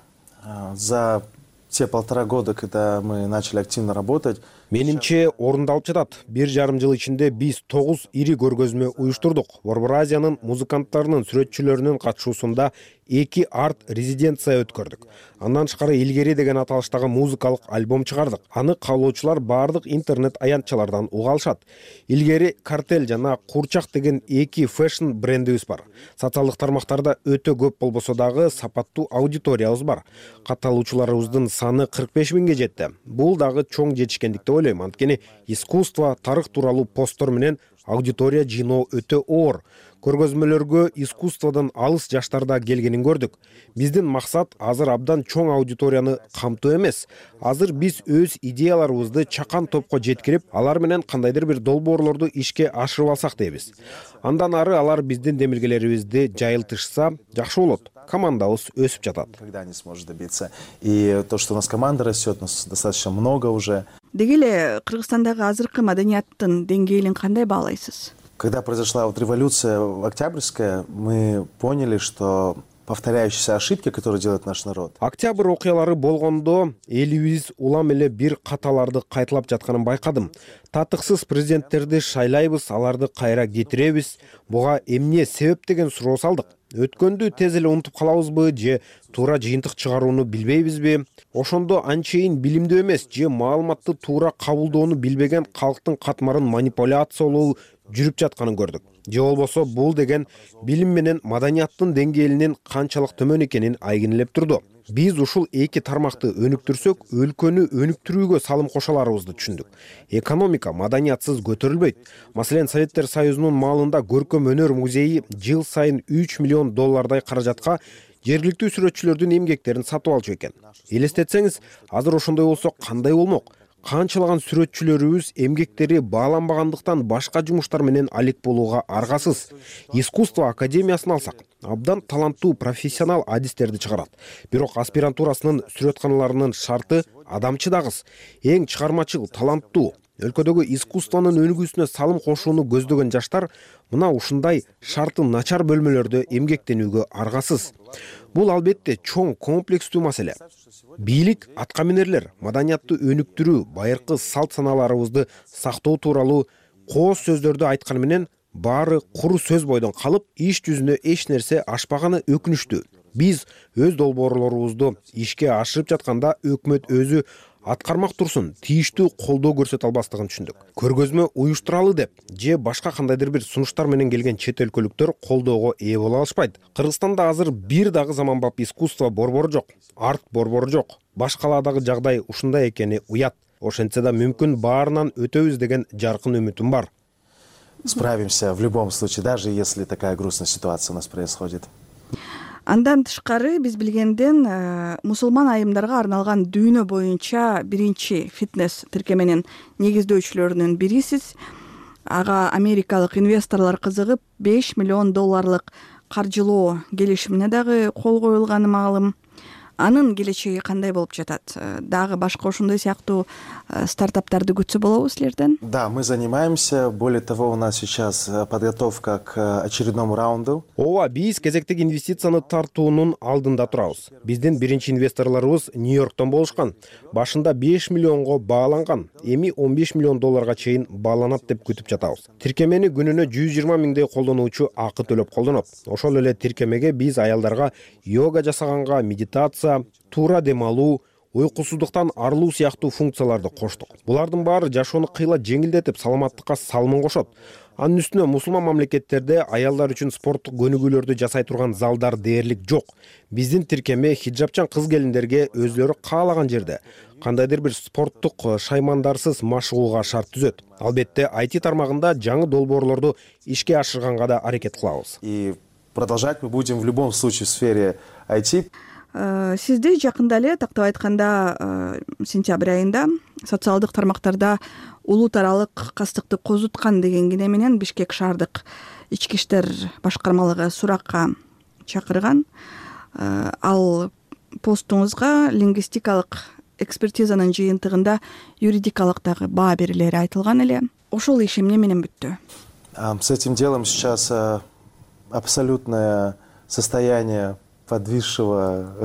За те полтора года, когда мы начали активно работать, менимче орундалып жатат. Бир жарым жыл ичинде биз тогуз ири көргөзмө уюштурдук. Борбор Азиянын музыканттарынын, сүрөтчүлөрүнүн катышуусунда эки арт резиденция өткөрдүк. Андан тышкары илгери деген аталыштагы музыкалык альбом чыгардык. Аны каалоочулар баардык интернет аянтчалардан уга алышат. Илгери Картель жана Курчак деген эки фэшн брендибиз бар. Социалдык тармактарда өтө көп болбосо дагы сапаттуу аудиториябыз бар. Катталуучуларыбыздын саны кырк беш миңге жетти. Бул дагы чоң жетишкендик деп ойлойм. Анткени искусство, тарых тууралуу посттор менен аудитория жыйноо өтө оор. Көргөзмөлөргө искусстводон алыс жаштарда келгенин көрдүк. Биздин максат азыр абдан чоң аудиторияны камтоо эмес. Азыр биз өз идеяларыбызды чакан топко жеткирип, алар менен кандайдыр бир долбоорлорду ишке ашырып алсак дейбиз. Андан ары алар биздин демилгелерибизди жайылтышса жакшы болот. Командабыз өсүп жатат. Когда не сможет добиться. И то, что у нас команда растет, нас достаточно много уже. Деги эле Кыргызстандагы азыркы маданияттын деңгээлин кандай баалайсыз? Когда произошла вот революция Октябрьская, мы поняли, что повторяющиеся ошибки, которые делает наш народ. Октябрь окуялары болгондо элибиз улам эле бир каталарды кайталап жатканын байкадым. Татыксыз президенттерди шайлайбыз, аларды кайра кетиребиз. Буга эмне себеп деген суроо салдык. Өткөндү тез эле унутуп калабызбы же туура жыйынтык чыгарууну билбейбизби? Ошондо анчейин билимдүү эмес же маалыматты туура кабылдоону билбеген калктын катмарын манипуляциялоо жүрүп жатканын көрдүк. Же болбосо бул деген билим менен маданияттын деңгээлинин канчалык төмөн экенин айгинелеп турду. Биз ушул эки тармакты өнүктүрсөк, өлкөнү өнүктүрүүгө салым кошо аларыбызды түшүндүк. Экономика маданиятсыз көтөрүлбөйт. Маселен, Советтер Союзунун маалында көркөм өнөр музейи жыл сайын үч миллион доллардай каражатка жергиликтүү сүрөтчүлөрдүн эмгектерин сатып алчу экен. Элестетсеңиз, азыр ошондой болсо кандай болмок? Канчалаган сүрөтчүлөрүбүз эмгектери бааланбагандыктан башка жумуштар менен алек болууга аргасыз. Искусство академиясын алсак, абдан таланттуу профессионал адистерди чыгарат. Бирок аспирантурасынын сүрөтканаларынын шарты адамчыдагыс, эң чыгармачыл, таланттуу. Өлкөдөгү искусствонун өнүгүүсүнө салым кошууну көздөгөн жаштар мына ушундай шарты начар бөлмөлөрдө эмгектенүүгө аргасыз. Бул албетте чоң комплекстүү маселе. Бийлик, аткаминерлер маданиятты өнүктүрүү, байыркы салт санааларыбызды сактоо тууралуу кооз сөздөрдү айтканы менен баары куру сөз бойдон калып, иш жүзүнө эч нерсе ашпаганы өкүнүчтүү. Биз өз долбоорлорубузду ишке ашырып жатканда өкмөт өзү аткармак турсун тийиштүү колдоо көрсөтө албастыгын түшүндүк. Көргөзмө уюштуралы деп же башка кандайдыр бир сунуштар менен келген чет өлкөлүктөр колдоого ээ боло алышпайт. Кыргызстанда азыр бир дагы заманбап искусство борбору жок, арт борбору жок. Башкалаадагы жагдай ушундай экени уят. Ошентсе да мүмкүн баарынан өтөбүз деген жаркын үмүтүм бар. Справимся в любом случае, даже если такая грустная ситуация у нас происходит. Андан тышкары биз билгенден мусулман айымдарга арналган дүйнө боюнча биринчи фитнес тиркеменин негиздөөчүлөрүнүн бирисиз. Ага америкалык инвесторлор кызыгып беш миллион долларлык каржылоо келишимине дагы кол коюлганы маалым. Анын келечеги кандай болуп жатат? Дагы башка ошондой сыяктуу стартаптарды күтсө болобу силерден? Да, мы занимаемся. Более того, у нас сейчас подготовка к очередному раунду. Ооба, биз кезектеги инвестицияны тартуунун алдында турабыз. Биздин биринчи инвесторлорубуз Нью-Йорктон болушкан. Башында беш миллионго бааланган, эми он беш миллион долларга чейин бааланат деп күтүп жатабыз. Тиркемени күнүнө жүз жыйырма миңдей колдонуучу акы төлөп колдонот. Ошол эле тиркемеге биз аялдарга йога жасаганга, медитация, туура дем алуу, уйкусуздуктан арылуу сыяктуу функцияларды коштук. Булардын баары жашоону кыйла жеңилдетип, саламаттыкка салымын кошот. Анын үстүнө мусулман мамлекеттерде аялдар үчүн спорттук көнүгүүлөрдү жасай турган залдар дээрлик жок. Биздин тиркеме хиджабчан кыз-келиндерге өзлөрү каалаган жерде кандайдыр бир спорттук шаймандарсыз машыгууга шарт түзөт. Албетте, ай ти тармагында жаңы долбоорлорду ишке ашырганга да аракет кылабыз. И продолжать мы будем в любом случае в сфере ай ти. Сизди жакында эле, тактап айтканда, сентябрь айында социалдык тармактарда улут аралык кастыкты козуткан деген кине менен Бишкек шаардык ички иштер башкармалыгы суракка чакырган. Ал постуңузга лингвистикалык экспертизанын жыйынтыгында юридикалык дагы баа берилери айтылган эле. Ошол иш эмне менен бүттү? С этим делом сейчас абсолютное состояние подвисшего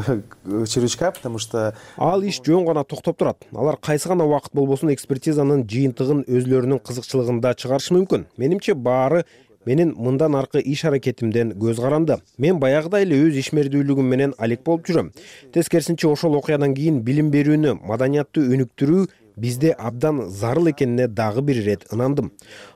червячка, потому что ал иш жөн гана токтоп турат. Алар кайсы гана убакыт болбосун экспертизанын жыйынтыгын өзлөрүнүн кызыкчылыгында чыгарышы мүмкүн. Менимче баары менин мындан аркы иш аракетимден көз каранды. Мен баягыдай эле өз ишмердүүлүгүм менен алек болуп жүрөм. Тескерисинче, ошол окуядан кийин билим берүүнү, маданиятты өнүктүрүү бизде абдан зарыл экенине дагы бир ирет ынандым.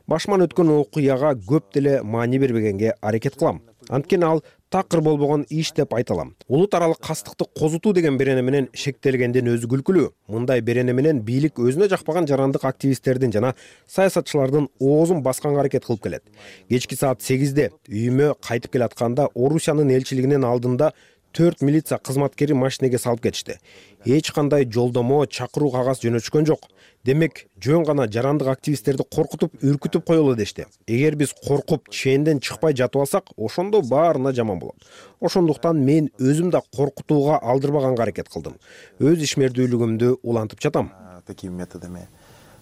Башыман өткөн окуяга көп деле маани бербегенге аракет кылам. Анткени ал такыр болбогон иш деп айта алам. Улут аралык кастыкты козутуу деген берене менен шектелгенден өзү күлкүлүү. Мындай берене менен бийлик өзүнө жакпаган жарандык активисттердин жана саясатчылардын оозун басканга аракет кылып келет. Кечки саат сегизде үйүмө кайтып келатканда Орусиянын элчилигинин алдында төрт милиция кызматкери машинеге салып кетишти. Эч кандай жолдомо, чакыруу кагаз жөнөтүшкөн жок. Демек, жөн гана жарандык активисттерди коркутуп, үркүтүп коелу дешти. Эгер биз коркуп, ченден чыкпай жатып алсак, ошондо баарына жаман болот. Ошондуктан мен өзүм да коркутууга алдырбаганга аракет кылдым. Өз ишмердүүлүгүмдү улантып жатам. Такими методами.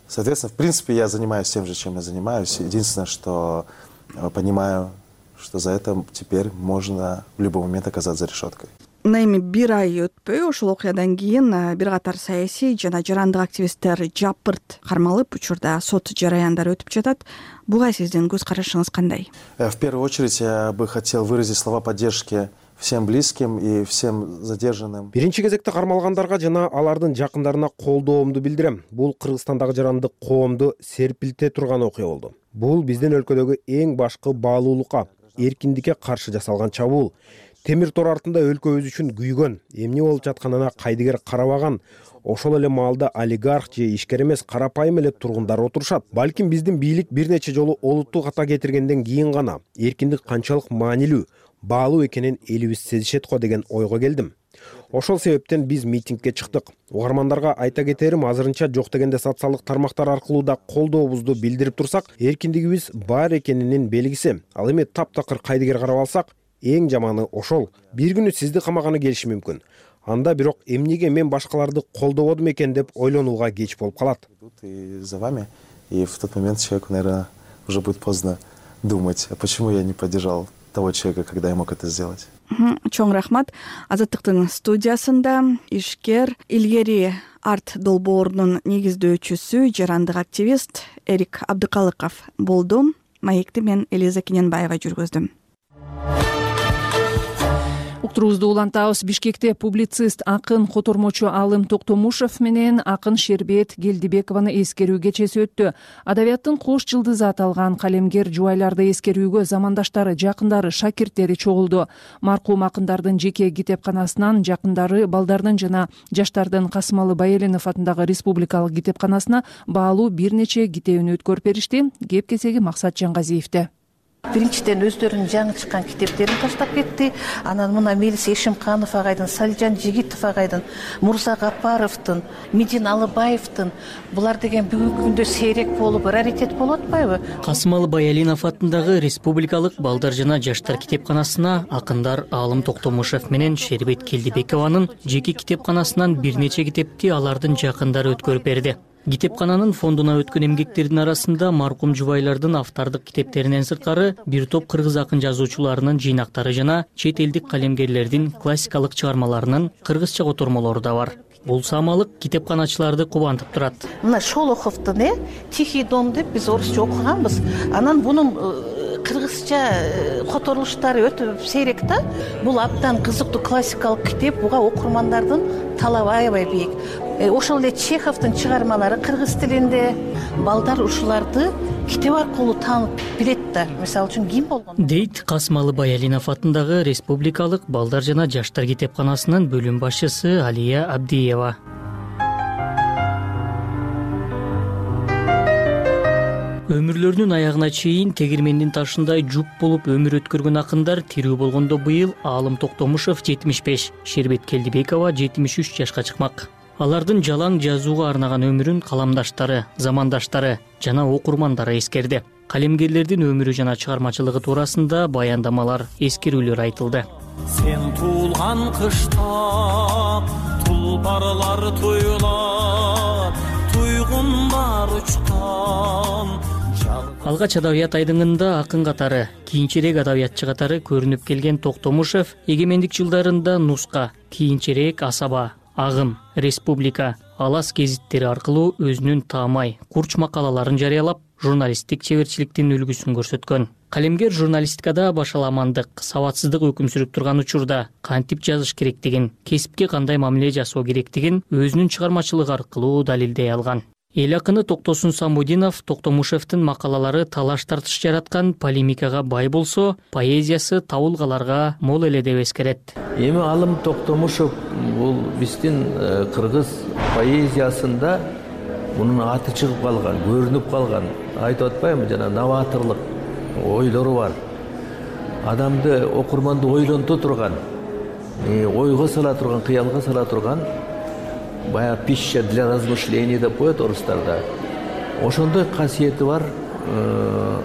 Соответственно, в принципе, я занимаюсь тем же, чем я занимаюсь. Единственное, что понимаю, что за это теперь можно в любой момент оказаться за решеткой. Эми бир ай өтпөй ошол окуядан кийин бир катар саясий жана жарандык активисттер жапырт кармалып, учурда сот жараяндары өтүп жатат. Буга сиздин көз карашыңыз кандай? В первую очередь я бы хотел выразить слова поддержки всем близким и всем задержанным. Биринчи кезекте кармалгандарга жана алардын жакындарына колдоомду билдирем. Бул Кыргызстандагы жарандык коомду серпилте турган окуя болду. Бул биздин өлкөдөгү эң башкы баалуулукка, эркиндикке каршы жасалган чабуул. Темир тор артында өлкөбүз үчүн күйгөн, эмне болуп жатканына кайдыгер карабаган, ошол эле маалда олигарх же ишкер эмес карапайым эле тургундар отурушат. Балким биздин бийлик бир нече жолу олутту ката кетиргенден кийин гана эркиндик канчалык маанилүү, баалуу экенин элибиз сезишет го деген ойго келдим. Ошол себептен биз митингге чыктык. Угармандарга айта кетерим, азырынча жок дегенде социалдык тармактар аркылуу да колдообузду билдирип турсак, эркиндигибиз бар экенинин белгиси. Ал эми таптакыр кайдыгер карап алсак, эң жаманы ошол. Бир күнү сизди камаганы келиши мүмкүн. Анда бирок эмнеге мен башкаларды колдободум экен деп ойлонууга кеч болуп калат. И за вами, и в тот момент человеку, наверное, уже будет поздно думать, а почему я не поддержал того человека, когда я мог это сделать. Чоң рахмат. Азаттыктын студиясында ишкер, илгери арт долбоорунун негиздөөчүсү, жарандык активист Эрик Абдыкалыков болду. Маекти мен Элиза Кененбаева жүргүздүм. Уктуруубузду улантабыз. Бишкекте публицист, акын, котормочу Алым Токтомушев менен акын Шербет Келдибекованы эскерүү кечеси өттү. Адабияттын кош жылдызы аталган калемгер жубайларды эскерүүгө замандаштары, жакындары, шакирттери чогулду. Маркум акындардын жеке китепканасынан жакындары, балдардын жана жаштардын Касымалы Баялинов атындагы республикалык китепканасына баалуу бир нече китебин өткөрүп беришти. Кеп кесеги Максат Жаңгазиевде. Биринчиден өздөрүнүн жаңы чыккан китептерин таштап кетти. Анан мына Мелис Эшимканов агайдын, Салижан Жигитов агайдын, Мурза Гапаровдун, Медин Алыбаевдин, булар деген бүгүнкү күндө сейрек болуп, раритет болуп атпайбы? Касымалы Баялинов атындагы республикалык балдар жана жаштар китепканасына акындар Алым Токтомушев менен Шербет Келдибекованын жеке китепканасынан бир нече китепти алардын жакындары өткөрүп берди. Китепкананын фондуна өткөн эмгектердин арасында маркум жубайлардын автордук китептеринен сырткары бир топ кыргыз акын жазуучуларынын жыйнактары жана чет элдик калемгерлердин классикалык чыгармаларынын кыргызча котормолору да бар. Бул самалык китепканачыларды кубантып турат. Мына Шолоховдун э Тихий дом деп биз орусча окуганбыз. Анан бунун кыргызча которулуштары өтө сейрек да. Бул абдан кызыктуу классикалык китеп, буга окурмандардын талабы аябай бийик. Ошол эле Чеховдун чыгармалары кыргыз тилинде, балдар ушуларды китеп аркылуу таанып билет да. Мисалы үчүн ким болгон? Дейт Касымалы Баялинов атындагы республикалык балдар жана жаштар китепканасынын бөлүм башчысы Алия Абдиева. Өмүрлөрүнүн аягына чейин тегирмендин ташындай жуп болуп өмүр өткөргөн акындар тирүү болгондо быйыл Алым Токтомушев жетимиш беш, Шербет Келдибекова жетимиш үч жашка чыкмак. Алардын жалаң жазууга арнаган өмүрүн каламдаштары, замандаштары жана окурмандары эскерди. Калемгерлердин өмүрү жана чыгармачылыгы туурасында баяндамалар, эскерүүлөр айтылды. Сен туулган кышта тулпарлар туйлап, туйгундар учкан. Алгач адабият айдыңында акын катары, кийинчерээк адабиятчы катары көрүнүп келген Токтомушев эгемендик жылдарында Нуска, кийинчерээк Асаба, Агым, Республика, Алас гезиттери аркылуу өзүнүн таамай, курч макалаларын жарыялап, журналисттик чеберчиликтин үлгүсүн көрсөткөн. Калемгер журналистикада башаламандык, сабатсыздык өкүм сүрүп турган учурда кантип жазыш керектигин, кесипке кандай мамиле жасоо керектигин өзүнүн чыгармачылыгы аркылуу далилдей алган. Эл акыны Токтосун Самудинов Токтомушевдин макалалары талаш тартыш жараткан, полемикага бай болсо, поэзиясы табылгаларга мол эле деп эскерет. Эми Алым Токтомушев бул биздин кыргыз поэзиясында мунун аты чыгып калган, көрүнүп калган, айтып атпаймынбы, жана новаторлук ойлору бар. Адамды, окурманды ойлонто турган, ойго сала турган, кыялга сала турган, бая пища для размышления деп коет орустарда. Ошондой касиети бар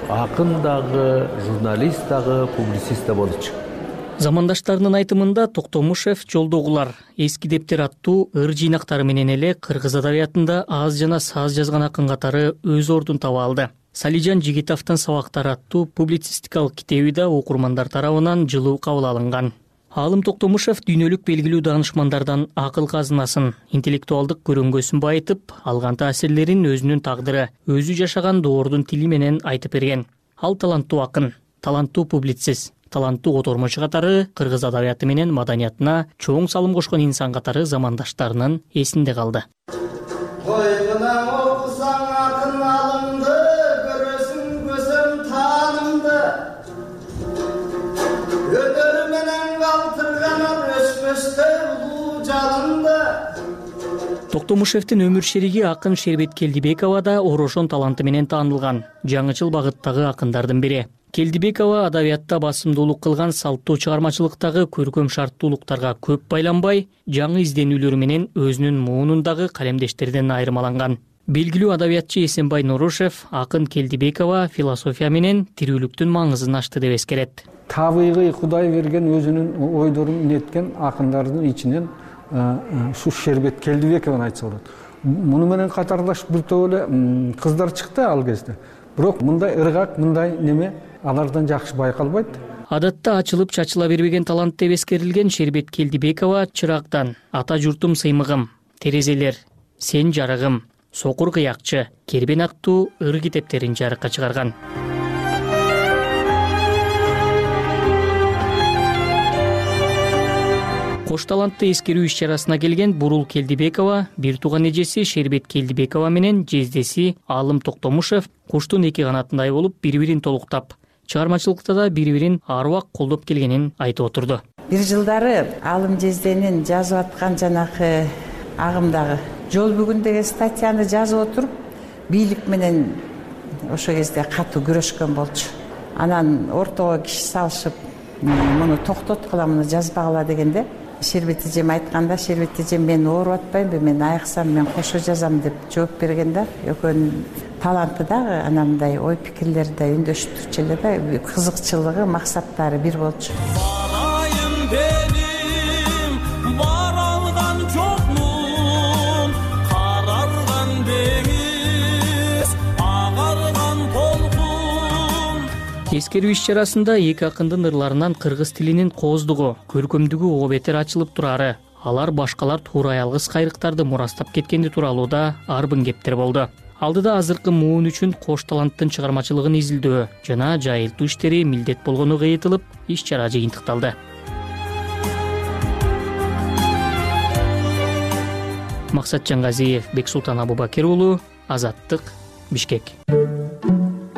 акын дагы, журналист дагы, публицист да болчу. Замандаштарынын айтымында Токтомушев жолдогулар, эски дептер аттуу ыр жыйнактары менен эле кыргыз адабиятында аз жана саз жазган акын катары өз ордун таба алды. Салижан Жигитовдун Сабактар аттуу публицистикалык китеби да окурмандар тарабынан жылуу кабыл алынган. Алым Токтомушев дүйнөлүк белгилүү даанышмандардан акыл казынасын, интеллектуалдык көрөңгөсүн байытып, алган таасирлерин өзүнүн тагдыры, өзү жашаган доордун тили менен айтып берген. Ал таланттуу акын, таланттуу публицист, таланттуу котормочу катары кыргыз адабияты менен маданиятына чоң салым кошкон инсан катары замандаштарынын эсинде калды. Койгунан окусаң акын алымды, көрөсүң көзөм таанымды. Өнөр менен калтырганар өспөстө улуу жалынды. Токтомушевдин өмүр шериги акын Шербет Келдибекова да орошон таланты менен таанылган жаңычыл багыттагы акындардын бири. Келдибекова адабиятта басымдуулук кылган салттуу чыгармачылыктагы көркөм шарттуулуктарга көп байланбай, жаңы изденүүлөрү менен өзүнүн муунундагы калемдештерден айырмаланган. Белгилүү адабиятчы Эсенбай Нурушев акын Келдибекова философия менен тирүүлүктүн маңызын ачты деп эскерет. Табигый Кудай берген өзүнүн ойдорун неткен акындардын ичинен ушу Шербет Келдибекованы айтса болот. Муну менен катарлаш бир топ эле кыздар чыкты ал кезде. Бирок мындай ыргак, мындай неме алардан жакшы байкалбайт. Адатта ачылып чачыла бербеген талант деп эскерилген Шербет Келдибекова чырактан Ата журтум сыймыгым, Терезелер, Сен жарыгым, Сокур кыякчы, Кербен аттуу ыр китептерин жарыкка чыгарган. Кош талантты эскерүү иш-чарасына келген Бурул Келдибекова, бир тууган эжеси Шербет Келдибекова менен жездеси Алым Токтомушев куштун эки канатындай болуп бири-бирин толуктап, чыгармачылыкта да бири-бирин аруак колдоп келгенин айтып отурду. Бир жылдары Алым жезденин жазып аткан жанакы агымдагы Жол бүгүн деген статьяны жазып отуруп, бийлик менен ошол кезде катуу күрөшкөн болчу. Анан ортого киши салышып, муну токтоткула, муну жазбагыла дегенде Шербет эжем айтканда, Шербет эжем мен ооруп атпаймбы, мен айыксам мен кошо жазам деп жооп берген да. Экөөнүн таланты дагы анандай ой пикирлери да үндөшүп эле да, кызыкчылыгы, максаттары бир болчу. Барайын дедим, бара алган жокмун, карарган деңиз, агарган толкун. Эскерүү иш-чарасында эки акындын ырларынан кыргыз тилинин кооздугу, көркөмдүгү о бетер ачылып турары, алар башкалар туура ялгыз кайрыктарды мурастап кеткенди тууралуу да арбын кептер болду. Алдыда азыркы муун үчүн кош таланттын чыгармачылыгын изилдөө жана жайылтуу иштери милдет болгону кыйытылып, иш-чара жыйынтыкталды. Максат Жангазиев, Бексултан Абубакир уулу, Азаттык, Бишкек.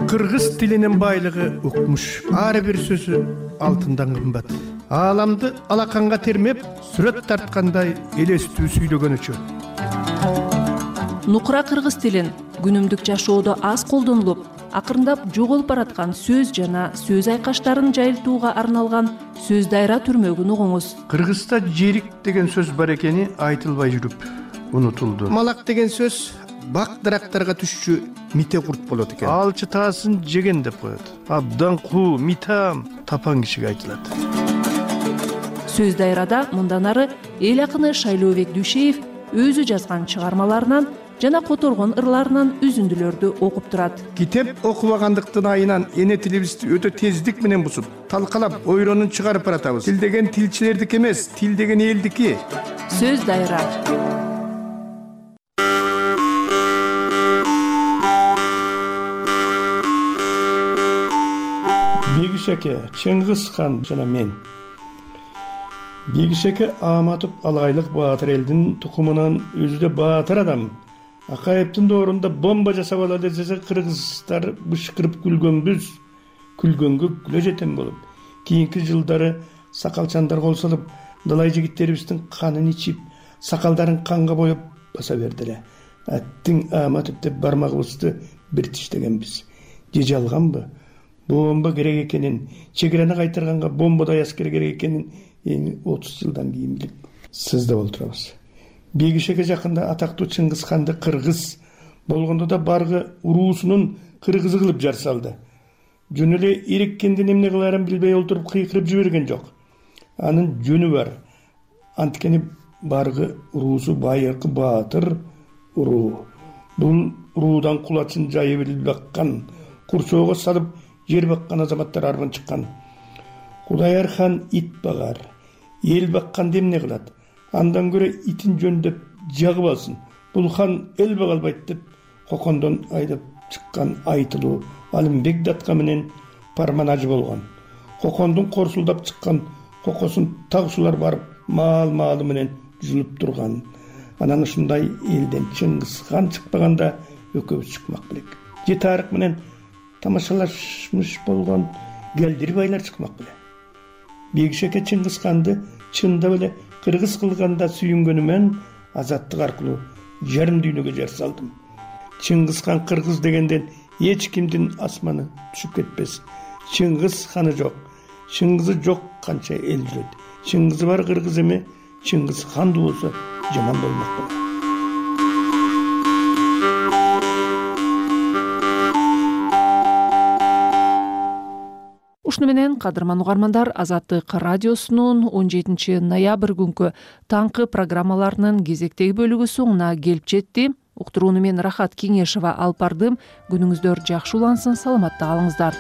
Кыргыз тилинин байлыгы укмуш, ар бир сөзү алтындан кымбат. Ааламды алаканга термеп, сүрөт тарткандай элестүү сүйлөгөнүчү. Нукура кыргыз тилин күнүмдүк жашоодо аз колдонулуп, акырындап жоголуп бараткан сөз жана сөз айкаштарын жайылтууга арналган сөз дайра түрмөгүн угуңуз. Кыргызда жерик деген сөз бар экени айтылбай жүрүп унутулду. Малак деген сөз бак дарактарга түшчү мите курт болот экен. Алчы таасын жеген деп коет. Абдан куу, митам тапан кишиге айтылат. Сөз дайрада мындан ары эл акыны Шайлообек Дүйшеев өзү жазган чыгармаларынан жана которгон ырларынан үзүндүлөрдү окуп турат. Китеп окубагандыктын айынан эне тилибизди өтө тездик менен бузуп, талкалап, ойронун чыгарып баратабыз. Тил деген тилчилердики эмес, тил деген элдики. Сөз дайра. Бегишеке, Чыңгыз хан жана мен. Бегишеке Аматов Алайлык баатыр элдин тукумунан өзү да баатыр адам. Акаевдин доорунда бомба жасап алалы десе кыргыздар бышкырып күлгөнбүз. Күлгөнгө күлө жетем болуп. Кийинки жылдары сакалчандар кол салып, далай жигиттерибиздин канын ичип, сакалдарын канга боеп баса бердиле. Аттың Аматов деп бармагыбызды бир тиштегенбиз. Же жалганбы? Бомба керек экенин, чегерени кайтарганга бомбадай аскер керек экенин эми отуз жылдан кийин билип сыздап отурабыз. Бегишеке жакында атактуу Чыңгыз ханды кыргыз болгондо да баргы уруусунун кыргызы кылып жар салды. Жөн эле иреккендин эмне кылаарын билбей олтуруп кыйкырып жиберген жок. Анын жөнү бар. Анткени баргы уруусу байыркы баатыр уруу. Бул уруудан кулачын жайып эле баккан, курчоого салып жер баккан азаматтар арбын чыккан. Кудаяр хан ит багар, эл бакканды эмне кылат? Андан көрө итин жөндөп жагып алсын. Бул хан эл бага албайт деп Кокондон айдап чыккан айтылуу Алымбек датка менен парманажы болгон. кокондун корсулдап чыккан кокосун тагуусулар барып маал маалы менен жулуп турган. Анан ушундай элден Чыңгыз хан чыкпаганда экөөбүз чыкмак белек. Же тарых менен тамашалашмыш болгон келдир байлар чыкмак беле. Бегишеке Чыңгыз ханды чындап эле кыргыз кылганда сүйүнгөнүмөн азаттык аркылуу жарым дүйнөгө жар салдым. Чыңгыз хан кыргыз дегенден эч кимдин асманы түшүп кетпес. Чыңгыз ханы жок, Чыңгызы жок канча эл жүрөт. Чыңгызы бар кыргыз эме, Чыңгыз ханды болсо жаман болмок беле. Ушуну менен кадырман угармандар, Азаттык радиосунун он жетинчи ноябрь күнкү таңкы программаларынын кезектеги бөлүгү соңуна келип жетти. Уктурууну мен Рахат Кеңешова алып бардым. Күнүңүздөр жакшы улансын, саламатта калыңыздар.